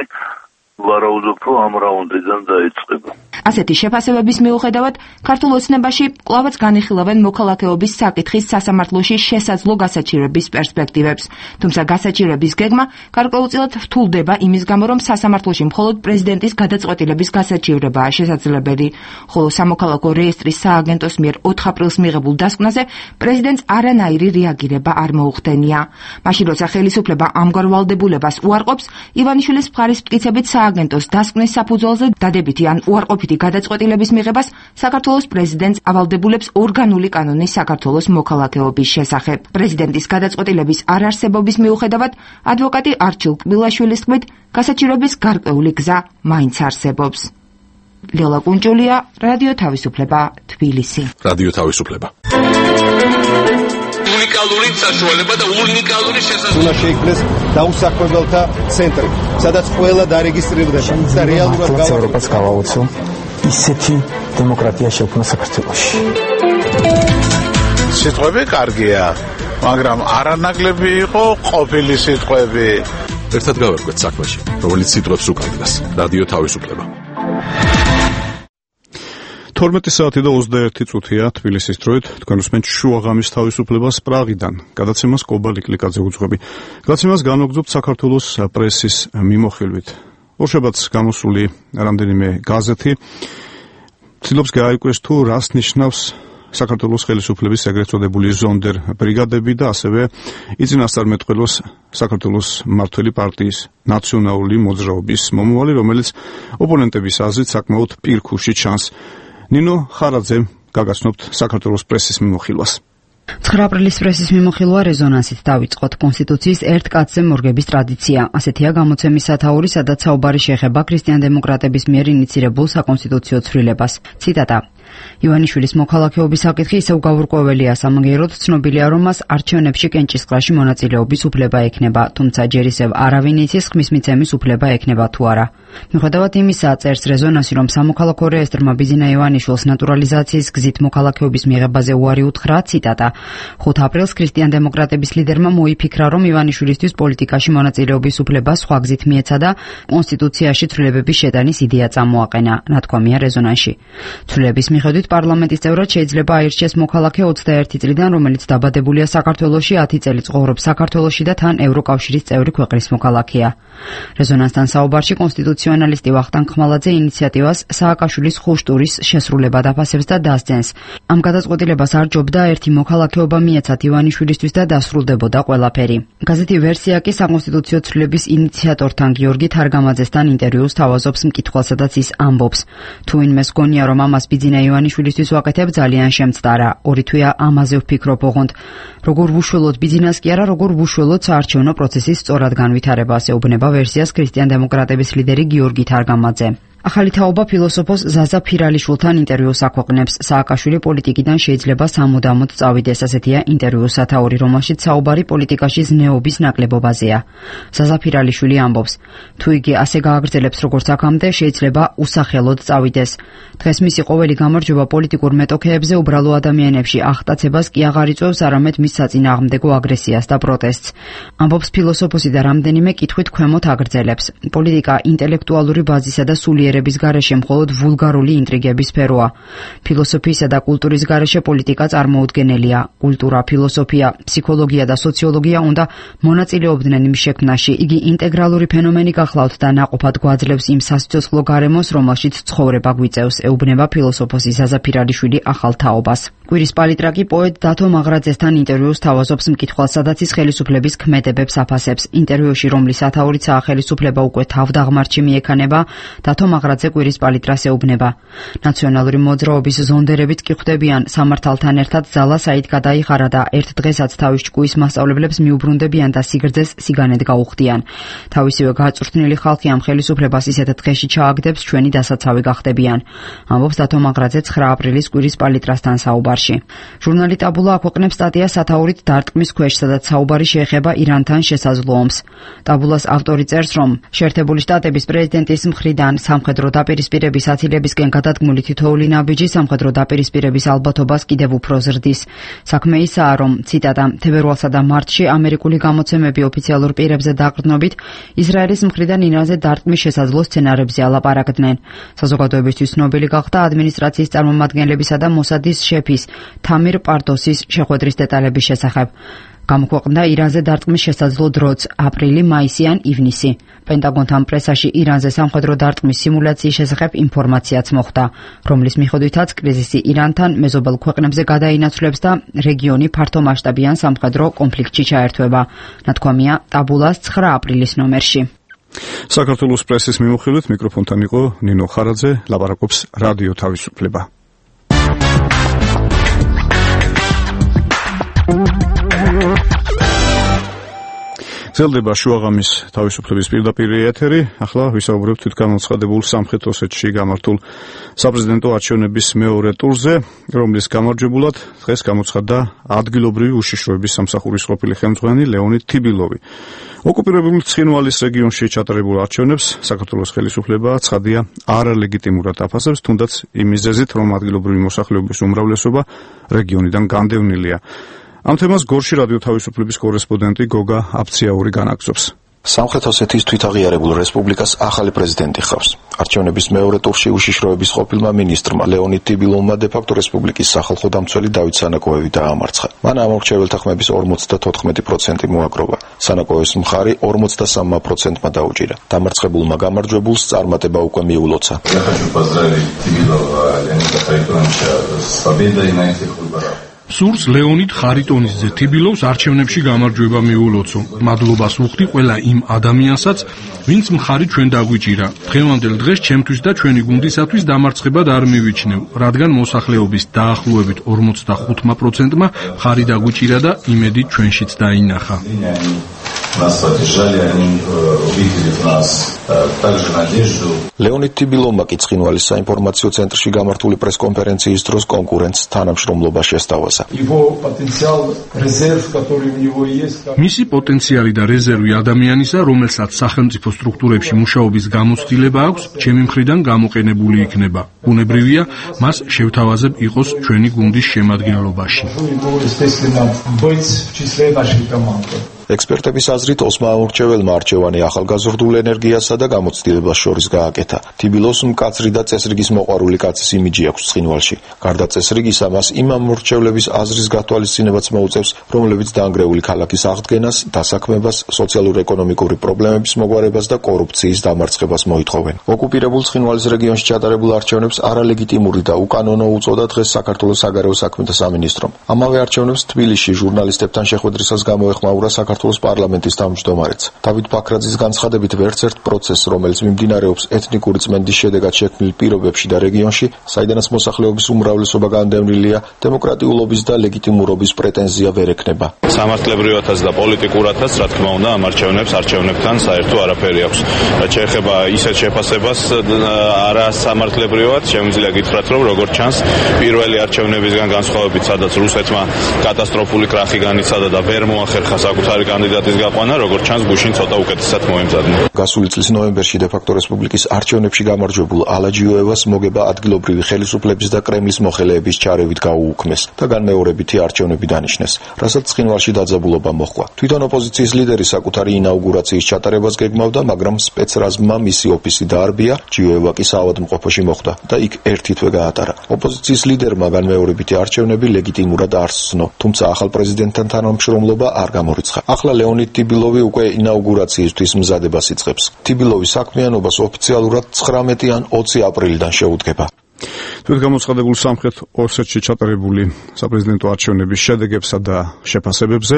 ვარაუდობ, რომ ამ რაუნდიდან დაიწყება. ასეთი შეფასებების მიუხედავად, ქართულ ოცნებაში კვლავაც განიხილავენ მოქალაქეობის საკითხის სასამართლოში შესაძლო გასაჩივრების პერსპექტივებს. თუმცა გასაჩივრების გეგმა გარკვეულწილად რთულდება იმის გამო, რომ სასამართლოში მხოლოდ პრეზიდენტის გადაწყვეტილების გასაჩივრებაა შესაძლებელი, ხოლო სამოქალაქო რეესტრის სააგენტოს მიერ ოთხ აპრილს მიღებულ დასკვნაზე პრეზიდენტს არანაირი რეაგირება არ მოუხდენია. მაშინ როცა ხელისუფლება ამგვარ ვალდებულებას უარყოფს, ივანიშვილის მხარის მტკიცებით სააგენტოს დასკვნის საფუძველზე დადებითი ან უარყოფითი გადაწყვეტილების მიღებას საქართველოს პრეზიდენტს ავალდებულებს ორგანული კანონი საქართველოს მოქალაქეობის შესახებ. პრეზიდენტის გადაწყვეტილების არარსებობის მიუხედავად, ადვოკატი არჩილ კბილაშვილის თქმით, გასაჩივრების გარკვეული გზა მაინც არსებობს. ლელა კუნჭულია, რადიო თავისუფლება, თბილისი. რადიო თავისუფლება. უნიკალური საშუალება და უნიკალური შესაძლებლობა. უნდა შეიქმნეს დაუსაქმებელთა ცენტრი, სადაც ყველა დარეგისტრირდება და რეალურად ევროპას გავაოცო ისეთი დემოკრატია შექმნა საქართველოში. სიტყვები კარგია, მაგრამ არანაკლები იყო ყოფილი სიტყვები. ერთად გავერკვეთ საქმეში, რომელიც სიტყვებს უკავშირდება. რადიო თავისუფლება. თორმეტი საათი და ოცდაერთი წუთია თბილისის დროით, თქვენ უსმენთ შუაღამის თავისუფლებას პრაღიდან. გადაცემას კობალ იკლიკაძე უძღვები. გადაცემას განვაგრძობთ საქართველოს პრესის მიმოხილვით. ორშაბათს გამოსული რამდენიმე გაზეთი ცდილობს გააიკვეს თუ რას ნიშნავს საქართველოს ხელისუფლების ეგრეთ წოდებული ზონდერ ბრიგადები და ასევე იწინასწარმეტყველოს საქართველოს მმართველი პარტიის ნაციონალური მოძრაობის მომავალი, რომელიც ოპონენტების აზრით საკმაოდ პირქუში ჩანს. ნინო ხარაძემ გაგაცნობთ საქართველოს პრესის მიმოხილვას. ცხრა აპრილის პრესის მიმოხილვა რეზონანსით დავიწყოთ. კონსტიტუციის ერთ კაცზე მორგების ტრადიცია. ასეთია გამოცემის სათაური, სადაც საუბარი შეეხება ქრისტიან-დემოკრატების მიერ ინიცირებულ საკონსტიტუციო ცვლილებას. ციტატა: ივანიშვილის მოქალაქეობის საკითხი ისევ გაურკვეველია, სამაგიეროდ ცნობილია, რომ მას არჩევნებში კენჭისყრაში მონაწილეობის უფლება ექნება, თუმცა ჯერ ისევ არავინ იცის ხმის მიცემის უფლება ექნება თუ არა. მიუხედავად იმისა, წერს რეზონანსი, რომ სამოქალაქო რეესტრმა ბიძინა ივანიშვილს ნატურალიზაციის გზით მოქალაქეობის მიღებაზე უარი უთხრა. ციტატა: ხუთ აპრილს ქრისტიან-დემოკრატების ლიდერმა მოიფიქრა, რომ ივანიშვილისთვის პოლიტიკაში მონაწილეობის უფლება სხვა გზით მიეცა და კონსტიტუციაში ცვლილებების შეტანის იდეა წამოაყენა, ნათქვამია რეზონანსში. ცვლილების მიხედვით პარლამენტის წევრად შეიძლება აირჩიეს მოქალაქე ოცდაერთი წლიდან, რომელიც დაბადებულია საქართველოში, ათი წელი ცხოვრობს საქართველოში და თან ევროკავშირის წევრი ქვეყნის მოქალაქეა. რეზონანსთან საუბარში კონსტიტუციონალისტი ვახტანგ ხმალაძე ინიციატივას სააკაშვილის ხუშტურის შესრულება დაფასებს და დასძენს. ამ გადაწყვეტილებას არ ჯობდა ერთი მოქალაქეობა მიეცათ ივანიშვილისთვის და დასრულდებოდა ყველაფერი. გაზეთი ვერსია კი საკონსტიტუციო ცვლილების ინიციატორთან გიორგი თარგამაძესთან ინტერვიუს თავაზობს მკითხველს, სადაც ის ამბობს: თუ ვინმეს გონია, რომ ამას ბიძინა ივანიშვილისთვის ვაკეთებ, ძალიან შემწდარა. ორი თვეა ამაზე ვფიქრობ ოღონდ. როგორ ვუშველოთ ბიძინას კი არა, როგორ ვუშველოთ საარჩევნო პროცესის სწორად განვითარებას, ეუბნება ვერსიას ქრისტიან-დემოკრატების ლიდერი გიორგი თარგამაძე. ახალი თაობა ფილოსოფოს ზაზა ფირალიშვილთან ინტერვიუს აქვეყნებს. სააკაშვილი პოლიტიკიდან შეიძლება სამუდამოდ წავიდეს, ასეთია ინტერვიუს სათაური, რომელშიც საუბარი პოლიტიკაში ზნეობის ნაკლებობაზეა. ზაზა ფირალიშვილი ამბობს: თუ იგი ასე გააგრძელებს როგორც აქამდე, შეიძლება უსახელოდ წავიდეს. დღეს მისი ყოველი გამარჯვება პოლიტიკურ მეტოქეებზე უბრალო ადამიანებში აღტაცებას კი აღარ იწვევს, არამედ მის საწინააღმდეგო აგრესიას და პროტესტს. ამბობს ფილოსოფოსი და რამდენიმე კითხვით ქვემოთ აგრძელებს. პოლიტიკა ინტელექტუალური ბაზისა და სულიერ ების გარეშე მხოლოდ ვულგარული ინტრიგების სფეროა. ფილოსოფიისა და კულტურის გარეშე პოლიტიკა წარმოუდგენელია. კულტურა, ფილოსოფია, ფსიქოლოგია და სოციოლოგია უნდა მონაწილეობდნენ იმ შექმნაში. იგი ინტეგრალური ფენომენი გახლავთ და ნაყოფად გვაძლევს იმ სასიცოცხლო გარემოს, რომელშიც ცხოვრება გვიწევს, ეუბნება ფილოსოფოსი ზაზა ფირალიშვილი ახალ თაობას. კვირის პალიტრაკი პოეტ დათო მაღრაძესთან ინტერვიუს თავაზობს მკითხველს, სადაც ის ხელისუფლების ქმედებებს აფასებს. ინტერვიუში, რომლის ათაურიცაა ხელისუფლება უკვე თავდაღმართში მიექანება, დათო მაღრაძე კვირის პალიტრას ეუბნება. ნაციონალური მოძრაობის ზონდერებით კი ხვდებიან, სამართალთან ერთად ძალა საით გადაიხარა და ერთ დღესაც თავის ჭკუის მასწავლებლებს მიუბრუნდებიან და სიგრძეს სიგანედ გაუხდიან. თავისივე გაწვრთნილი ხალხი ამ ხელისუფლებას ისეთ დღეში ჩააგდებს, ჩვენი დასაცავი გახდებიან. ამბობს დათო მაღრაძე ცხრა აპრილის კვირის პალიტრასთან საუბარში. ჟურნალი ტაბულა აქვეყნებს სტატიას სათაურით დარტყმის ქვეშ, სადაც საუბარი შეეხება ირანთან შესაძლო ომს. ტაბულას ავტორი წერს, რომ შეერთებული შტატების პრეზიდენტის მხრიდან სამხედრო დაპირისპირების ათილებისკენ გადადგმული თითოეული ნაბიჯი სამხედრო დაპირისპირების ალბათობას კიდევ უფრო ზრდის. საქმე ისაა, რომ ციტატა თებერვალსა და მარტში ამერიკული გამოცემები ოფიციალურ პირებზე დაყრდნობით ისრაელის მხრიდან ირანზე დარტყმის შესაძლო სცენარებზე ალაპარაკდნენ. საზოგადოებისთვის ცნობილი გახდა ადმინისტრაციის წარმომადგენლებისა და მოსადის შეფის თამირ პარდოსის შეხვედრის დეტალების შესახებ. გამოქვეყნდა ირანზე დარტყმის შესაძლო დროც აპრილი, მაისი ან ივნისი. პენტაგონთან პრესაში ირანზე სამხედრო დარტყმის სიმულაციის შესახებ ინფორმაციაც მოხვდა, რომლის მიხედვითაც კრიზისი ირანთან მეზობელ ქვეყნებზე გადაინაცვლებს და რეგიონი ფართომასშტაბიან სამხედრო კონფლიქტში ჩაერთვება. ნათქვამია ტაბულას ცხრა აპრილის ნომერში. საქართველოს პრესის მიმოხილვით მიკროფონთან იყო ნინო ხარაძე, ლაპარაკობს რადიო თავისუფლება. გრძელდება შუაღამის თავისუფლების პირდაპირი ეთერი. ახლა ვისაუბრებთ თვითგამოცხადებულ სამხრეთ ოსეთში გამართულ საპრეზიდენტო არჩევნების მეორე ტურზე, რომლის გამარჯვებულად დღეს გამოცხადდა ადგილობრივი უშიშროების სამსახურის ყოფილი ხელმძღვანელი ლეონიდ თიბილოვი. ოკუპირებული ცხინვალის რეგიონში ჩატარებულ არჩევნებს საქართველოს ხელისუფლება ცხადია არალეგიტიმურად აფასებს, თუნდაც იმ მიზეზით, რომ ადგილობრივი მოსახლეობის უმრავლესობა რეგიონიდან განდევნილია. ამ თემას გორში რადიო თავისუფლების კორესპონდენტი გოგა აფციაური განაგზობს. სამხრეთ ოსეთის თვითაღიარებულ რესპუბლიკას ახალი პრეზიდენტი ხავს. არჩევნების მეორე ტურში უშიშროების ყოფილმა მინისტრმა ლეონიდ თიბილოვმა დე-ფაქტო რესპუბლიკის სახალხო დამცველი დავით სანაკოევი დაამარცხა. მან ამორჩეველთა ხმების ორმოცდათოთხმეტი პროცენტი მოაგროვა. სანაკოევის მხარი ორმოცდასამ პროცენტმა დაუჭირა. დამარცხებულმა გამარჯვებულს წარმატება უკვე მიულოცა. სურს ლეონიდ ხარიტონისძე თიბილოვს არჩევნებში გამარჯვება მიულოცო. მადლობას ვუხდი ყველა იმ ადამიანსაც, ვინც მხარი ჩვენ დაგვიჭირა. დღევანდელ დღეს ჩემთვის და ჩვენი გუნდისათვის დამარცხებად არ მივიჩნევ, რადგან მოსახლეობის დაახლოებით ორმოცდახუთ პროცენტმა მხარი დაგვიჭირა და იმედი ჩვენშიც დაინახა. ლეონიდ თიბილოვმა კი ცხინვალის საინფორმაციო ცენტრში გამართული პრესკონფერენციის დროს კონკურენტს თანამშრომლობა შესთავაზა. მისი პოტენციალი და რეზერვი ადამიანისა, რომელსაც სახელმწიფო სტრუქტურებში მუშაობის გამოცდილება აქვს, ჩემი მხრიდან გამოყენებული იქნება. ბუნებრივია, მას შევთავაზებ იყოს ჩვენი გუნდის შემადგენლობაში. ექსპერტების აზრით ოსმა ამორჩეველმა არჩევანი ახალგაზრდულ ენერგიასა და გამოცდილებას შორის გააკეთა. თიბილოვს მკაცრი და წესრიგის მოყვარული კაცის იმიჯი აქვს ცხინვალში. გარდა წესრიგისა, მას იმ ამორჩევლების აზრის გათვალისწინებაც მოუწევს, რომლებიც დაანგრეული ქალაქის აღდგენას, დასაქმებას, სოციალურ-ეკონომიკური პრობლემების მოგვარებას და კორუფციის დამარცხებას მოითხოვენ. ოკუპირებულ ცხინვალის რეგიონში ჩატარებულ არჩევნებს არალეგიტიმური და უკანონო უწოდა დღეს საქართველოს საგარეო საქმეთა სამინისტრომ. ამავე არჩევნებს თბილისში ჟურნალისტებთან შეხვედრისას გამოეხმაურა საქართველოს პარლამენტის თავმჯდომარეც. დავით ბაქრაძის განცხადებით, ვერც ერთ პროცესს, რომელიც მიმდინარეობს ეთნიკური წმენდის შედეგად შექმნილ პირობებში და რეგიონში, საიდანაც მოსახლეობის უმრავლესობა განდევნილია, დემოკრატიულობის და ლეგიტიმურობის პრეტენზია ვერ ექნება. სამართლებრივათაც და პოლიტიკურათაც, რა თქმა უნდა, ამ არჩევნებს არჩევნებთან საერთო არაფერი აქვს. რაც შეეხება ისეთ შეფასებას არასამართლებრივად, შემიძლია გითხრათ, რომ როგორც ჩანს, პირველი არჩევნებისგან განსხვავებით, სადაც რუსეთმა კატასტროფული კრახი განიცადა და ვერ მოახერხა საკუთარი კანდიდატის გაყვანა, როგორც ჩანს, გუშინ ცოტა უკეთესად მოემზადა. გასული წლის ნოემბერში დე-ფაქტო რესპუბლიკის არჩევნებში გამარჯვებულ ალაჯიოევას მოგება ადგილობრივი ხელისუფლების და კრემლის მოხელეების ჩარევით გაუუქმეს და განმეორებითი არჩევნები დანიშნეს, რასაც ცხინვალში დაძაბულობა მოჰყვა. თვითონ ოპოზიციის ლიდერი საკუთარი ინაუგურაციის ჩატარებას გეგმავდა, მაგრამ სპეცრაზმმა მისი ოფისი დაარბია, ჯიოევა კი საავადმყოფოში მოხვდა და იქ ერთი თვე გაატარა. ოპოზიციის ლიდერმა განმეორებითი არჩევნები ლეგიტიმურად არ სცნო, თუმცა ახალ პრეზიდენტთან თანამშრომლობა არ გამორიცხა. ახლა ლეონიდ თიბილოვი უკვე ინაუგურაციისთვის მზადებას იწყებს. თიბილოვის საქმიანობას ოფიციალურად ცხრამეტი ან ოცი აპრილიდან შეუდგება. თვით გამოცხადებულ სამხრეთ ოსეთში ჩატარებული საპრეზიდენტო არჩევნების შედეგებსა და შეფასებებზე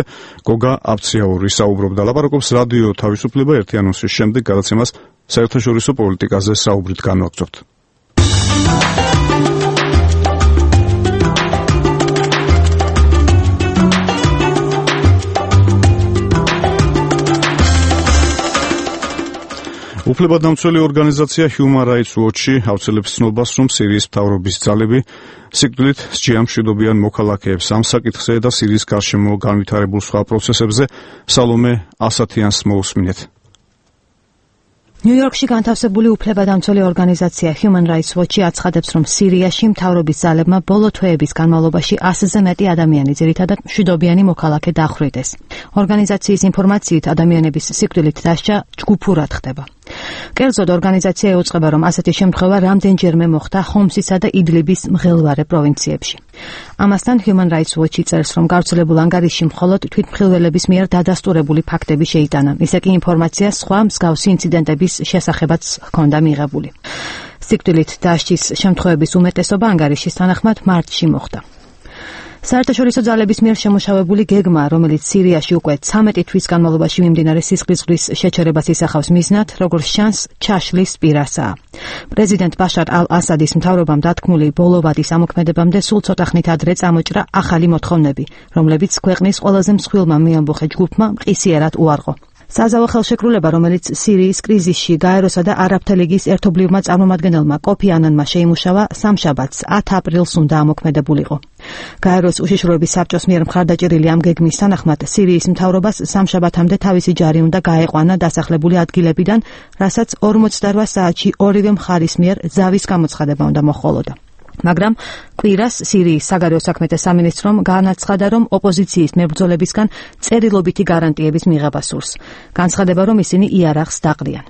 გოგა აბციაური საუბრობდა. ლაპარაკობს რადიო თავისუფლება ერთი ანონსის შემდეგ გადაცემას საერთაშორისო პოლიტიკაზე საუბრით განვაგრძობთ. უფლებადამცველი ორგანიზაცია Human Rights Watch-ი აუცილებს ცნობას, რომ სირიის მთავრობის ძალები სიკვდილით სჯიან მშვიდობიან მოქალაქეებს ამ საკითხზე და სირიის გარშემო განვითარებულ სხვა პროცესებზე. სალომე ასათიანს მოусმინეთ. ნიუ-იორკში განთავსებული უფლებადამცველი ორგანიზაცია Human Rights Watch-ი აცხადებს, რომ სირიაში მთავრობის ძალებმა ბოლო თვეების განმავლობაში ასზე მეტი ადამიანი, ძირითადად მშვიდობიანი მოქალაქე დახვრიტეს. ორგანიზაციის ინფორმაციით, ადამიანების სიკვდილით დასჯა ჯგუფურად ხდება. კერძოდ, ორგანიზაცია ეუწყება, რომ ასეთი შემთხვევა რამდენჯერმე მოხდა ხომსისა და იდლიბის მღელვარე პროვინციებში. ამასთან Human Rights Watch-ი წერს, რომ გავრცელებულ ანგარიშში მხოლოდ თვითმხილველების მიერ დადასტურებული ფაქტები შეიტანა. ისე კი ინფორმაცია სხვა მსგავსი ინციდენტების შესახებაც ჰქონდა მიღებული. სიკვდილით დასჯის შემთხვევების უმეტესობა ანგარიშის თანახმად მარტში მოხდა. საერთაშორისო ძალების მიერ შემუშავებული გეგმა, რომელიც სირიაში უკვე ცამეტი თვის განმავლობაში მიმდინარე სისხლისღვრის შეჩერებას ისახავს მიზნად, როგორც ჩანს, ჩაშლის პირასაა. პრეზიდენტ ბაშარ ალ-ასადის მთავრობამ დათქმული ბოლო ვადის ამოქმედებამდე სულ ცოტა ხნით ადრე წამოჭრა ახალი მოთხოვნები, რომლებიც ქვეყნის ყველაზე მსხვილმა მეამბოხე ჯგუფმა მყისიერად უარყო. საზავო ხელშეკრულება, რომელიც სირიის კრიზისში გაეროსა და არაბთა ლიგის ერთობლივმა წარმომადგენელმა კოფი ანანმა შეიმუშავა, სამშაბათს ათი აპრილს უნდა ამოქმედებულიყო. გაეროს უშიშროების საბჭოს მიერ მხარდაჭერილი ამ გეგმის თანახმად სირიის მთავრობას სამშაბათამდე თავისი ჯარი უნდა გაეყვანა დასახლებული ადგილებიდან, რასაც ორმოცდარვა საათში ორივე მხარის მიერ ზავის გამოცხადება უნდა მოჰყოლოდა. მაგრამ კვირას სირიის საგარეო საქმეთა სამინისტრომ განაცხადა, რომ ოპოზიციის მებრძოლებისგან წერილობითი გარანტიების მიღება სურს. განცხადება, რომ ისინი იარაღს დაყრიან.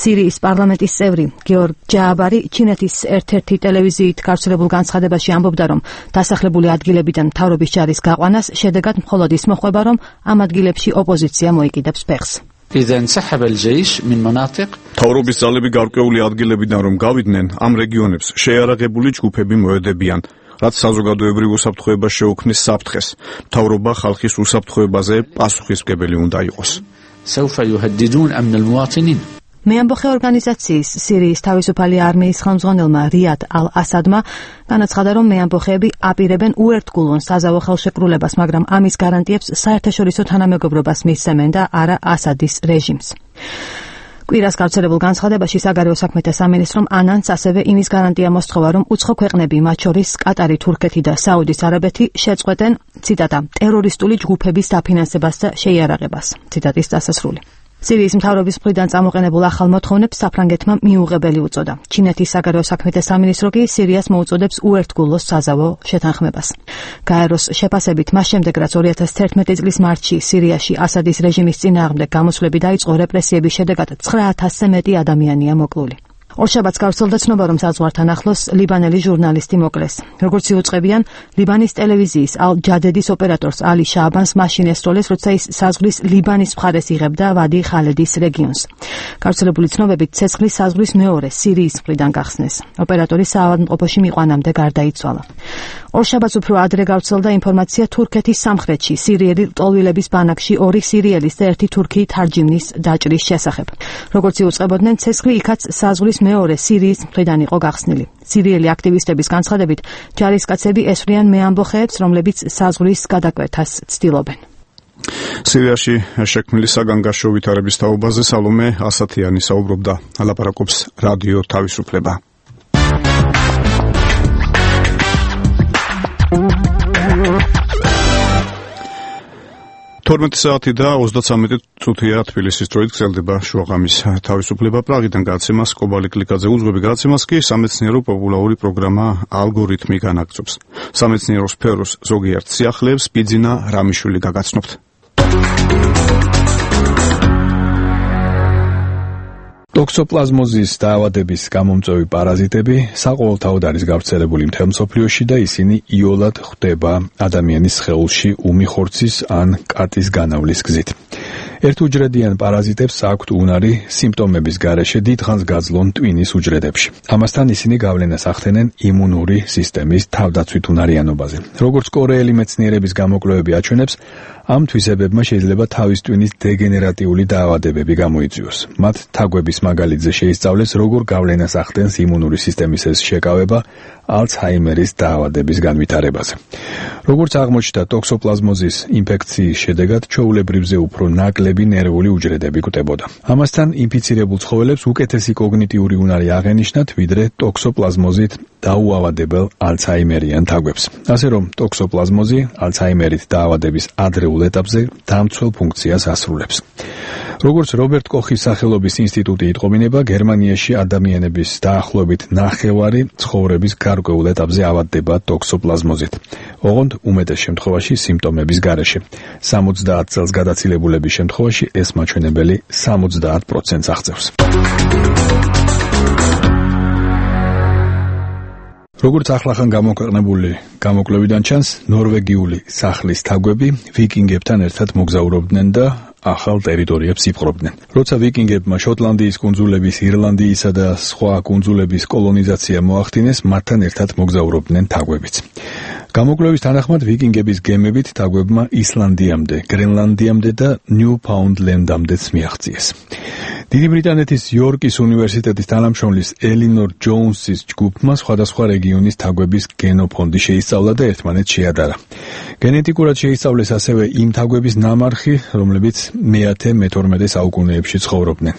სირიის პარლამენტის წევრი გეორგ ჯააბარი ჩინეთის ერთ-ერთი ტელევიზიით გავრცელებულ განცხადებაში ამბობდა, რომ დასახლებული ადგილებიდან მთავრობის ჯარის გაყვანას შედეგად მხოლოდ ის მოხვება, რომ ამ ადგილებში ოპოზიცია მოიკიდებს ფეხს. إذا انسحب الجيش من مناطق თავრობის ძალები გარკვეული ადგილებიდან რომ გავიდნენ, ამ რეგიონებს შეიარაღებული ჯგუფები მოედებიან, რაც საზოგადოებრივ უსაფრთხოებას შეუქმნის საფრთხეს. მთავრობა ხალხის უსაფრთხოებაზე პასუხისმგებელი უნდა იყოს. سوف يهددون أمن المواطنين. მეამბოხე ორგანიზაციის სირიის თავისუფალი არმიის ხელმძღვანელმა რიად ალ-ასადმა განაცხადა, რომ მეამბოხეები აპირებენ უერთგულონ საზავო ხელშეკრულებას, მაგრამ ამის გარანტიებს საერთაშორისო თანამეგობრობას მისცემენ და არა ასადის რეჟიმს. კვირას გავრცელებულ განცხადებაში საგარეო საქმეთა სამინისტრომ ანანს ასევე იმის გარანტია მოსთხოვა, რომ უცხო ქვეყნები, მათ შორის კატარი, თურქეთი და საუდის არაბეთი შეწყვეტენ, ციტატა, ტერორისტული ჯგუფების დაფინანსებას და შეიარაღებას. ციტატის დასასრული. სირიის მთავრობის მხრიდან წამოყენებულ ახალ მოთხოვნებს საფრანგეთმა მიუღებელი უწოდა. ჩინეთის საგარეო საქმეთა სამინისტრო კი სირიას მოუწოდებს უერთგულოს საზავო შეთანხმებას. გაეროს შეფასებით, მას შემდეგ რაც ორი ათას თერთმეტი წლის მარტში სირიაში ასადის რეჟიმის წინააღმდეგ გამოსვლები დაიწყო, რეპრესიების შედეგად ცხრა ათასზე მეტი ადამიანია მოკლული. ორშაბათს გავრცელდა ცნობა, რომ საზღვართან ახლოს ლიბანელი ჟურნალისტი მოკლეს. როგორც იუწყებიან, ლიბანის ტელევიზიის ალ-ჯადედის ოპერატორს ალი შააბანს მაშინ ესწროლეს, როცა ის საზღვრის ლიბანის მხარეს იღებდა ვადი ხალედის რეგიონს. გავრცელებული ცნობებით, ცეცხლის საზღვრის მეორე სირიის მხრიდან გახსნეს. ოპერატორი საავადმყოფოში მიყვანამდე გარდაიცვალა. ორშაბათს უფრო ადრე გავრცელდა ინფორმაცია თურქეთის სამხრეთში, სირიელი ლტოლვილების ბანაკში ორი სირიელის და ერთი თურქი თარჯიმნის დაჭრის შესახებ. როგორც იუწყებოდნენ, ცეცხლი იქაც საზღვრის მეორე სირიის მხრიდან იყო გახსნილი. სირიელი აქტივისტების განცხადებით, ჯარისკაცები ესვრიან მეამბოხეებს, რომლებიც საზღვრის გადაკვეთას ცდილობენ. სირიაში შექმნილი საგანგაშო ვითარების თაობაზე სალომე ასათიანი საუბრობდა. ლაპარაკობს რადიო თავისუფლება. თორმეტი საათი და ოცდაცამეტი წუთია თბილისის დროით გრძელდება შუაღამის თავისუფლება. პრაღიდან გადაცემას კობალი კლიკაძე უძღვები, გადაცემას კი სამეცნიერო პოპულარული პროგრამა ალგორითმი განაგრძობს. სამეცნიერო სფეროს ზოგიერთ სიახლეებს ბიძინა რამიშვილი გაგაცნობთ. ტოქსოპლაზმოზის დაავადების გამომწვევი პარაზიტები საყოველთაოდ არის გავრცელებული მთელ მსოფლიოში და ისინი იოლად ხვდება ადამიანის სხეულში უმი ხორცის ან კატის განავლის გზით. ერთუჯრედიან პარაზიტებს აქვთ უნარი სიმპტომების გარეშე დიდხანს გაძლონ ტვინის უჯრედებში. ამასთან ისინი გავლენას ახდენენ იმუნური სისტემის თავდაცვით უნარიანობაზე. როგორც კორეელი მეცნიერების გამოკვლევები აჩვენებს, ამ თვისებებმა შეიძლება თავის ტვინის დეგენერატიული დაავადებები გამოიწვიოს. მათ თაგვების მაგალითზე შეისწავლეს, როგორ გავლენას ახდენს იმუნური სისტემის ეს შეკავება ალცჰაიმერის დაავადების განვითარებაზე. როგორც აღმოჩნდა, ტოქსოპლაზმოზის ინფექციის შედეგად ჩვეულებრივზე უფრო ნაკლები ნერვული უჯრედები გვტებოდა. ამასთან ინფიცირებულ ცხოველებს უკეთესი კოგნიტიური უნარი აღენიშნათ, ვიდრე ტოქსოპლაზმოზით დაუავადებელ ალცჰაიმერიან თაგვებს. ასე რომ, ტოქსოპლაზმოზი ალცჰაიმერით დაავადების ადრეულ ეტაპზე დამცველ ფუნქციას ასრულებს. როგორც რობერტ კოხის სახელობის ინსტიტუტი იტყობინება, გერმანიაში ადამიანების დაახლოებით ნახევარი ცხოვრების გარკვეულ ეტაპზე ავადდება ტოქსოპლაზმოზით. ოღონდ უმეტეს შემთხვევაში სიმპტომების გარეშე. სამოცდაათ წელს გადაცილებულების შემთხვევაში ეს მაჩვენებელი სამოცდაათ პროცენტს აღწევს. როგორც ახლახან გამოქვეყნებული გამოკვლევიდან ჩანს, ნორვეგიული სახლის თაგვები ვიკინგებთან ერთად მოგზაურობდნენ და ახალ ტერიტორიებს იპყრობდნენ. როცა ვიკინგებმა შოტლანდიის კუნძულების, ირლანდიისა და სხვა კუნძულების კოლონიზაცია მოახდინეს, მათთან ერთად მოგზაურობდნენ თაგვებიც. გამოკვლევის თანახმად ვიკინგების გემებით თაგვებმა ისლანდიამდე, გრენლანდიამდე და ნიუფაუნდლენდამდეც მიაღწიეს. დიდი ბრიტანეთის იორკის უნივერსიტეტის თანამშრომლის ელინორ ჯოუნსის ჯგუფმა სხვადასხვა რეგიონის თაგვების გენოფონდი შეისწავლა და ერთმანეთს შეადარა. გენეტიკურად შეისწავლეს ასევე იმ თაგვების ნამარხი, რომლებიც მეათე-მეთორმეტე საუკუნეებში ცხოვრობდნენ.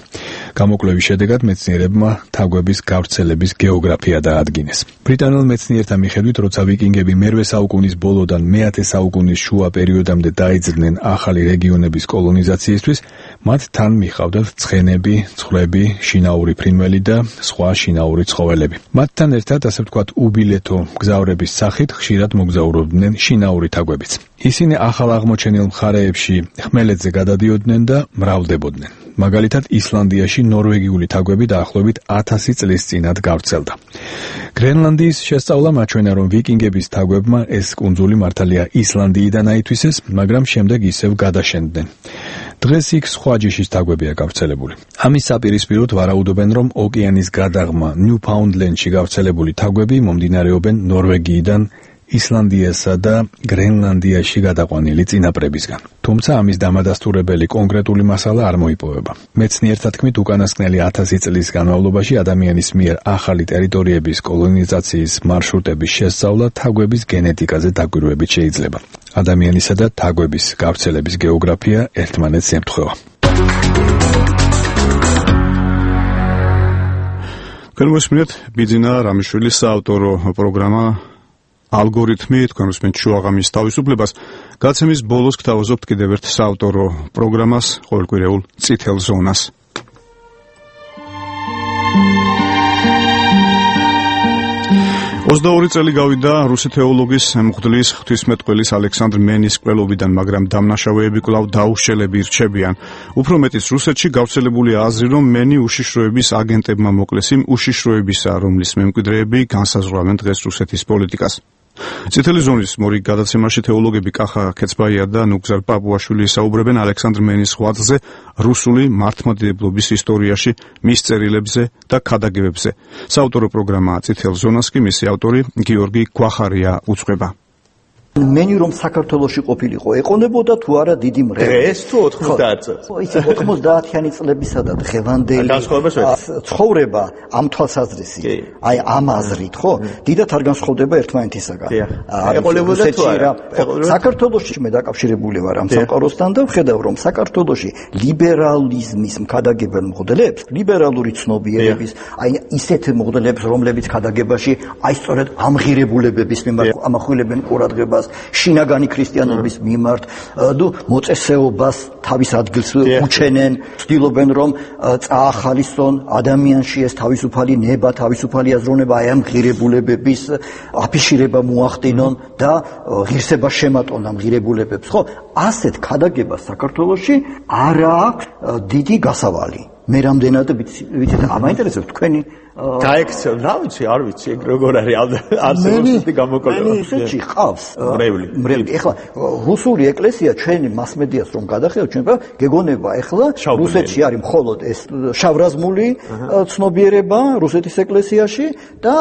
გამოკვლევის შედეგად მეცნიერებმა თაგვების გავრცელების გეოგრაფია დაადგინეს. ბრიტანელ მეცნიერთა მიხედვით, როცა ვიკინგები მერვე საუკუნის ბოლოდან მეათე საუკუნის შუა პერიოდამდე დაიძრნენ ახალი რეგიონების კოლონიზაციისთვის, მათ თან მიჰყავდათ ცხენები, ცხვრები, შინაური ფრინველი და სხვა შინაური ცხოველები. მათთან ერთად, ასე ვთქვათ, უბილეთო მგზავრების სახით ხშირად მოგზაურობდნენ შინაური თაგვებიც. ისინი ახალ აღმოჩენილ მხარეებში ხმელეთზე გადადიოდნენ და მრავლდებოდნენ. მაგალითად, ისლანდიაში ნორვეგიული თაგვები დაახლოებით ათასი წლის წინათ გავრცელდა. გრენლანდიის შესწავლა მაჩვენა, რომ ვიკინგების თაგვებმა ეს კუნძული მართალია ისლანდიიდან აითვისეს, მაგრამ შემდეგ ისევ გადაშენდნენ. დღეს იქ სხვა ჯიშის თაგვებია გავრცელებული. ამის საპირისპიროდ ვარაუდობენ, რომ ოკეანის გადაღმა ნიუფაუნდლენდში გავრცელებული თაგვები მომდინარეობენ ნორვეგიიდან ისლანდიასა და გრენლანდიაში გადაყვანილი წინაპრებისგან. თუმცა ამის დამადასტურებელი კონკრეტული მასალა არ მოიპოვება. მეცნიერთა თქმით, უკანასკნელი ათასი წლის განმავლობაში ადამიანის მიერ ახალი ტერიტორიების კოლონიზაციის მარშრუტების შესწავლა თაგვების გენეტიკაზე დაკვირვებით შეიძლება. ადამიანისა და თაგვების გავრცელების გეოგრაფია ერთმანეთს ემთხვევა. განვესმინეთ ბიძინა რამიშვილის საავტორო პროგრამა ალგორითმი, თქვენ უსმენთ შუაღამის თავისუფლებას. გაცემის ბოლოს გთავაზობთ კიდევ ერთ საავტორო პროგრამას, ყოველკვირეულ წითელ ზონას. ოცდაორი წელი გავიდა რუსი თეოლოგის მღვდლის ღვთისმეტყველის ალექსანდრ მენის კვლელობიდან, მაგრამ დამნაშავეები კვლავ დაუშელები რჩებიან. უფრო მეტიც, რუსეთში გავრცელებული აზრი, რომ მენი უშიშროების აგენტებმა მოკლეს იმ უშიშროებისა, რომლის მემკვიდრეები განსაზღვრავენ დღეს რუსეთის პოლიტიკას. წითელი ზონის მორიგ გადაცემაში თეოლოგები კახა ქეცბაია და ნუგზარ პაპუაშვილი ისაუბრებენ ალექსანდრ მენის ღვაწლზე რუსული მართლმადიდებლობის ისტორიაში, მის წერილებზე და ქადაგებებზე. საავტორო პროგრამა წითელ ზონას კი მისი ავტორი გიორგი გვახარია უძღვება. მენი რომ საქართველოში ყოფილიყო, ეყონებოდა თუ არა დიდი მრევლი. დღეს თუ ოთხმოცდაათ წელს. იცი ოცდაათიანი წლებისა და დღევანდელი ცხოვრება ამ თვალსაზრისი. აი ამ აზრით, ხო? დიდად არ განსხვავდება ერთმანეთისაგან. ეყოლებოდა თუ არა. საქართველოში მე დაკავშირებული ვარ ამ სამყაროსთან და ვხედავ, რომ საქართველოში ლიბერალიზმის მქადაგებელ მღვდლებს, ლიბერალური ცნობიერების, აი ისეთ მღვდლებს, რომლებიც ქადაგებაში აი სწორედ ამღირებულებების მიმართ ამახვილებენ ყურადღებას, შინაგანი ქრისტიანობის მიმართ, და მოწესეობას თავის ადგილს უჩენენ, ცდილობენ რომ წაახალისონ ადამიანში ეს თავისუფალი ნება, თავისუფალი აზროვნება, აი ამ ღირებულებების აფიშირება მოახდინონ და ღირსება შემატონ ამ ღირებულებებს, ხო? ასეთ ქადაგებას საქართველოში არ აქვს დიდი გასავალი. მე რამდენად ვიცი და მაინტერესებს თქვენი გაექცევ, რა ვიცი, არ ვიცი, ეგ როგორ არის არსებობითი გამოკვლევა. მე ისეთი ყავს. მრევლი. მრევლი. ეხლა რუსული ეკლესია ჩვენი მასმედიას რომ გადახედავთ, ჩვენ გეგონება ეხლა რუსეთში არის მხოლოდ ეს შავრაზმული ცნობიერება რუსეთის ეკლესიაში და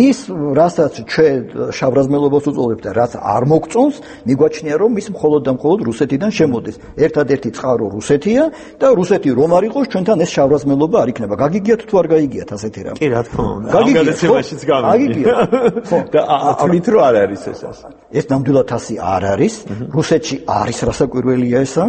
ის რასაც ჩვენ შავრაზმელობას უწოდებთ და რაც არ მოგწონს, მიგვაჩნია რომ ის მხოლოდ და მხოლოდ რუსეთიდან შემოდის. ერთადერთი წყარო რუსეთია და რუსეთი რომ არ იყოს, ჩვენთან ეს შავრაზმელობა არ იქნება. გაგიგიათ თუ არ გაგიგიათ ასეთი რამ? კი, რა თქმა უნდა. ამ გადაცემაშიც გამიგია. ხო, და თვლით რომ არ არის ეს ასე. ეს ნამდვილად ასე არ არის. რუსეთში არის რასაკვირველია ესა,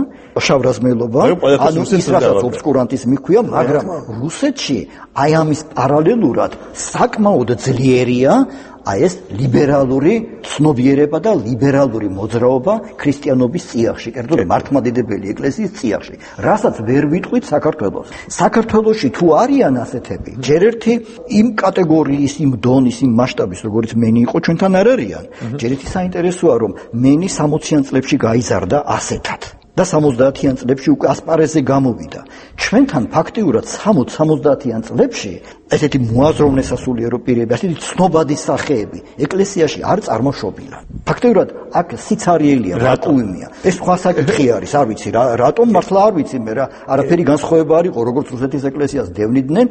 შავრაზმელობა, ანუ ის რასაც ობსკურანტიზმი ქვია, მაგრამ რუსეთში აი ამის პარალელურად საკმაოდ ძლიერია აი ეს ლიბერალური ცნობიერება და ლიბერალური მოძრაობა ქრისტიანობის წიაღში, კერძოდ მართლმადიდებელი ეკლესიის წიაღში, რასაც ვერ ვიტყვით საქართველოს. საქართველოში თუ არიან ასეთები, ჯერ ერთი იმ კატეგორიის, იმ დონის, იმ მასშტაბის, როგორც მენი იყო, ჩვენთან არ არიან. ჯერ ერთი საინტერესოა, რომ მენი სამოციან წლებში გაიზარდა ასეთად. და სამოცდაათიან წლებში უკვე ასპარეზზე გამოვიდა. ჩვენთან ფაქტიურად სამოცდაათი სამოცდაათიან წლებში ესეთი მოაზროვნე სასულიერო პირები, ასეთი ცნობადი სახეები ეკლესიაში არ წარმოშობილა. ფაქტიურად აქ სიცარიელია, ვაკუუმია. ეს სხვა საკითხი არის, არ ვიცი რა, რატომ მართლა არ ვიცი მე რა, არაფერი განსხვავება არ იყო, როგორც რუსეთის ეკლესიას დევნიდნენ,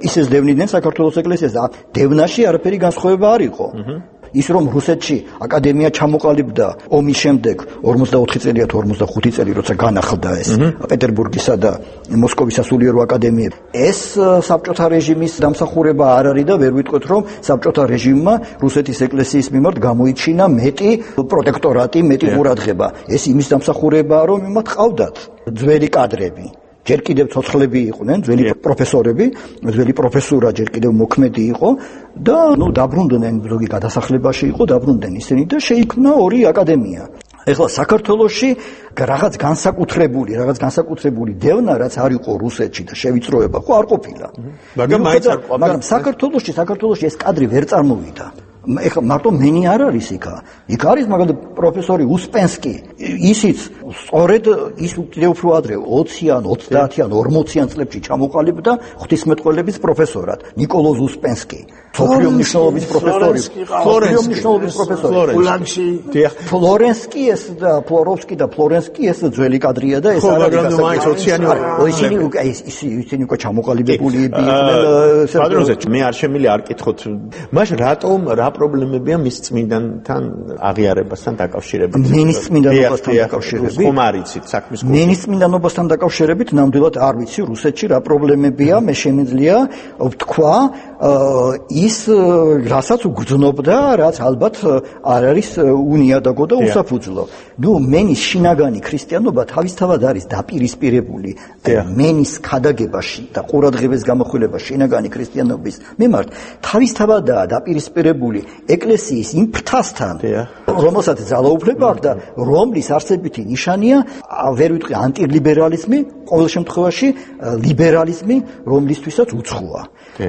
ისეს დევნიდნენ საქართველოს ეკლესიას. დევნაში არაფერი განსხვავება არ იყო. ის რომ რუსეთში აკადემია ჩამოყალიბდა ომის შემდეგ ორმოცდაოთხი წელია თუ ორმოცდახუთი წელი როცა განახლდა ეს პეტერბურგისა და მოსკოვის სასულიერო აკადემიები ეს საბჭოთა რეჟიმის დამსახურება არ არის და ვერ ვიტყვით რომ საბჭოთა რეჟიმმა რუსეთის ეკლესიის მიმართ გამოიჩინა მეტი პროტექტორატი, მეტი ყურადღება. ეს იმის დამსახურებაა რომ იმათ ყავდათ ძველი კადრები. ჯერ კიდევ ცოცხლები იყვნენ, ძველი პროფესორები, ძველი პროფესურა ჯერ კიდევ მოქმედი იყო და ნუ დაბრუნდნენ, ზოგი გადასახლებაში იყო, დაბრუნდნენ ისინი და შეიქმნა ორი აკადემია. ეხლა საქართველოში რაღაც განსაკუთრებული, რაღაც განსაკუთრებული დევნა, რაც არ იყო რუსეთში და შევიწროება, ხო არ ყოფილა. მაგრამ მაინც არ ყოფილა. მაგრამ საქართველოში, საქართველოში ეს კადრი ვერ წარმოვიდა. ეხლა მარტო მენი არ არის იქა. იქ არის მაგალითად პროფესორი უსპენსკი. ისიც სწორედ ის კიდევ უფრო ადრე ოციან, ოცდაათიან, ორმოციან წლებში ჩამოყალიბდა ღვთისმეტყველების პროფესორად ნიკოლოზ უსპენსკი. მსოფლიო მნიშვნელობის პროფესორი. მსოფლიო მნიშვნელობის პროფესორი. ფლორენსკი, ფლორენსკი ეს და ფლოროვსკი და ფლორენსკი ეს ძველი კადრია და ეს არის. მაგრამ მაინც ოციანი ისინი უკვე ისინი უკვე ჩამოყალიბებული იყვნენ. პატრონზე მე არ შემილი არ კითხოთ. მაშინ რატომ რა პრობლემებია მის წმინდანთან აღიარებასთან დაკავშირებით? მენის წმინდანობასთან დაკავშირებით. ხომ არ იცით საქმის კურსი? მენის წმინდანობასთან დაკავშირებით ნამდვილად არ ვიცი რუსეთში რა პრობლემებია, მე შემიძლია ვთქვა ის რასაც უგრძნობდა, რაც ალბათ არ არის უნიადაგო და უსაფუძვლო. ნუ მენის შინაგანი ქრისტიანობა თავისთავად არის დაპირისპირებული მენის ქადაგებაში და ყურადღების გამახვილება შინაგანი ქრისტიანობის მიმართ თავისთავადაა დაპირისპირებული ეკლესიის იმ ფრთასთან, რომელსაც ძალაუფლება აქვს და რომლის არსებითი ნიშანია, ვერ ვიტყვი ანტილიბერალიზმი, ყოველ შემთხვევაში ლიბერალიზმი, რომლისთვისაც უცხოა.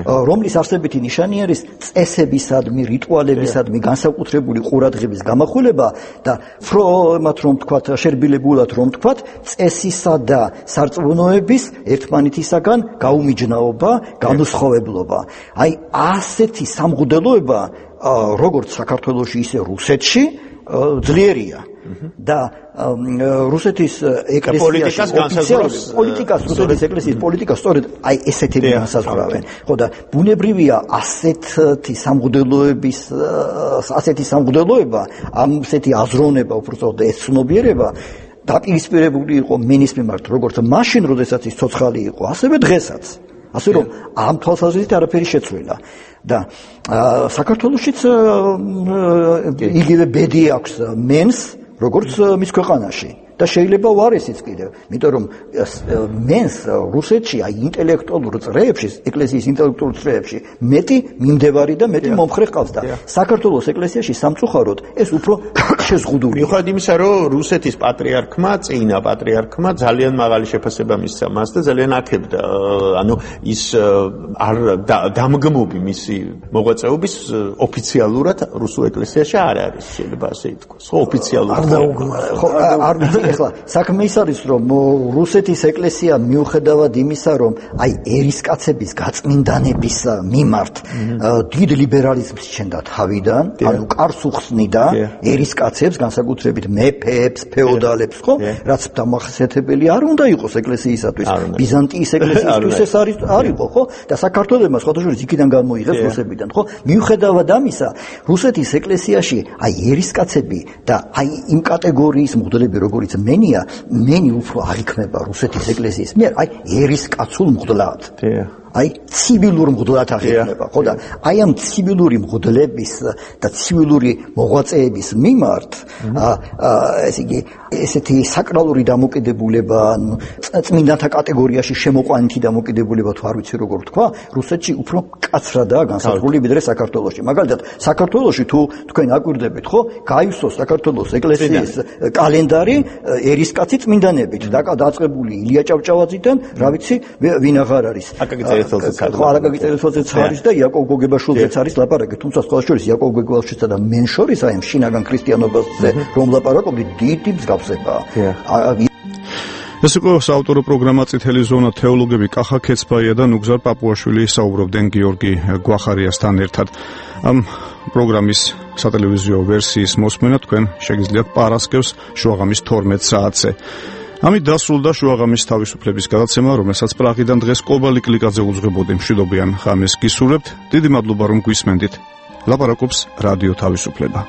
რომლის არსებითი ნიშანი არის წესებისადმი, რიტუალებისადმი განსაკუთრებული ყურადღების გამახვილება და ფრომად რომ თქვათ, შერბილებულად რომ თქვათ, წესისა და სარწმუნოების ერთმანეთისაგან გაუმიჯნაობა, განუსხვავებლობა. აი ასეთი სამღვდელოება როგორც საქართველოში, ისე რუსეთში ძლიერია. და რუსეთის ეკლესიის პოლიტიკას, რუსეთის ეკლესიის პოლიტიკას სწორედ აი ესეთები განსაზღვრავენ. ხო და ბუნებრივია ასეთი სამღვდელოების, ასეთი სამღვდელოება, ასეთი აზროვნება, უბრალოდ ეს ცნობიერება დაპირისპირებული იყო მენის მიმართ, როგორც მაშინ, როდესაც ის ცოცხალი იყო, ასევე დღესაც. ასე რომ ამ თვალსაზრისით არაფერი შეცვლილა. და საქართველოშიც იგივე ბედი აქვს მენს, როგორც მის ქვეყანაში. და შეიძლება უარესიც კიდევ, იმიტომ რომ მენს რუსეთში აი ინტელექტუალურ წრეებში, ეკლესიის ინტელექტუალურ წრეებში მეტი მიმდევარი და მეტი მომხრე ყავს და საქართველოს ეკლესიაში სამწუხაროდ ეს უფრო შეზღუდული. მიუხედავად იმისა, რომ რუსეთის პატრიარქმა, წინა პატრიარქმა ძალიან მაღალი შეფასება მისცა მას და ძალიან აქებდა, ანუ ის არ დამგმობი მისი მოღვაწეობის ოფიციალურად რუსულ ეკლესიაში არ არის, შეიძლება ასე ითქვას. ხო, ოფიციალურად. ხო, არ ვიცი ეხლა საქმე ის არის, რომ რუსეთის ეკლესია მიუხედავად იმისა, რომ აი ერისკაცების გაწმინდანების მიმართ დიდ ლიბერალიზმს ჩენდა თავიდან, ანუ კარს უხსნიდა ერისკაცებს, განსაკუთრებით მეფეებს, ფეოდალებს, ხო? რაც დამახასიათებელი არ უნდა იყოს ეკლესიისათვის, ბიზანტიის ეკლესიისთვის ეს არის არ იყო, ხო? და საქართველოს სხვადასხვა იქიდან გამოიღეს რუსებიდან, ხო? მიუხედავად ამისა, რუსეთის ეკლესიაში აი ერისკაცები და აი იმ კატეგორიის მღვდლები, როგორიც მენია, მენი უფრო არ იქნება რუსეთის ეკლესიის მიერ, აი ერისკაცულ მღვდლად. აი ცივილურ მღვდლად აღიქმება, ხო და აი ამ ცივილური მღვდლების და ცივილური მოღვაწეების მიმართ ესე იგი ესეთი საკრალური დამოკიდებულება, წმინდანთა კატეგორიაში შემოყვანითი დამოკიდებულება თუ არ ვიცი როგორ თქვა, რუსეთში უფრო მკაცრადაა განსაზღვრული ვიდრე საქართველოში. მაგალითად, საქართველოში თუ თქვენ აკვირდებით, ხო, გაივსოს საქართველოს ეკლესიის კალენდარი ერისკაცი წმინდანებით და დაწყებული ილია ჭავჭავაძიდან, რა ვიცი, ვინ აღარ არის. ხო, არაკაკი წერეთელზეც არის და იაკობ გოგებაშვილზეც არის ლაპარაკი, თუმცა სხვა შორის იაკობ გოგებაშვილსა და მენ შორის აი ამ შინაგან ქრისტიანობაზე რომ ლაპარაკობდი, დიდი მსგავსებაა. ეს იყო საავტორო პროგრამა წითელი ზონა, თეოლოგები კახა ქეცბაია და ნუგზარ პაპუაშვილი საუბრობდნენ გიორგი გვახარიასთან ერთად. ამ პროგრამის სატელევიზიო ვერსიის მოსმენა თქვენ შეგიძლიათ პარასკევს შუაღამის თორმეტ საათზე. ამით დასრულდა შუაღამის თავისუფლების გადაცემა, რომელსაც პრაღიდან დღეს კობალი კლიკაძე უძღვებოდი. მშვიდობიან ღამეს გისურვებთ. დიდი მადლობა რომ გვისმენდით. ლაპარაკობს რადიო თავისუფლება.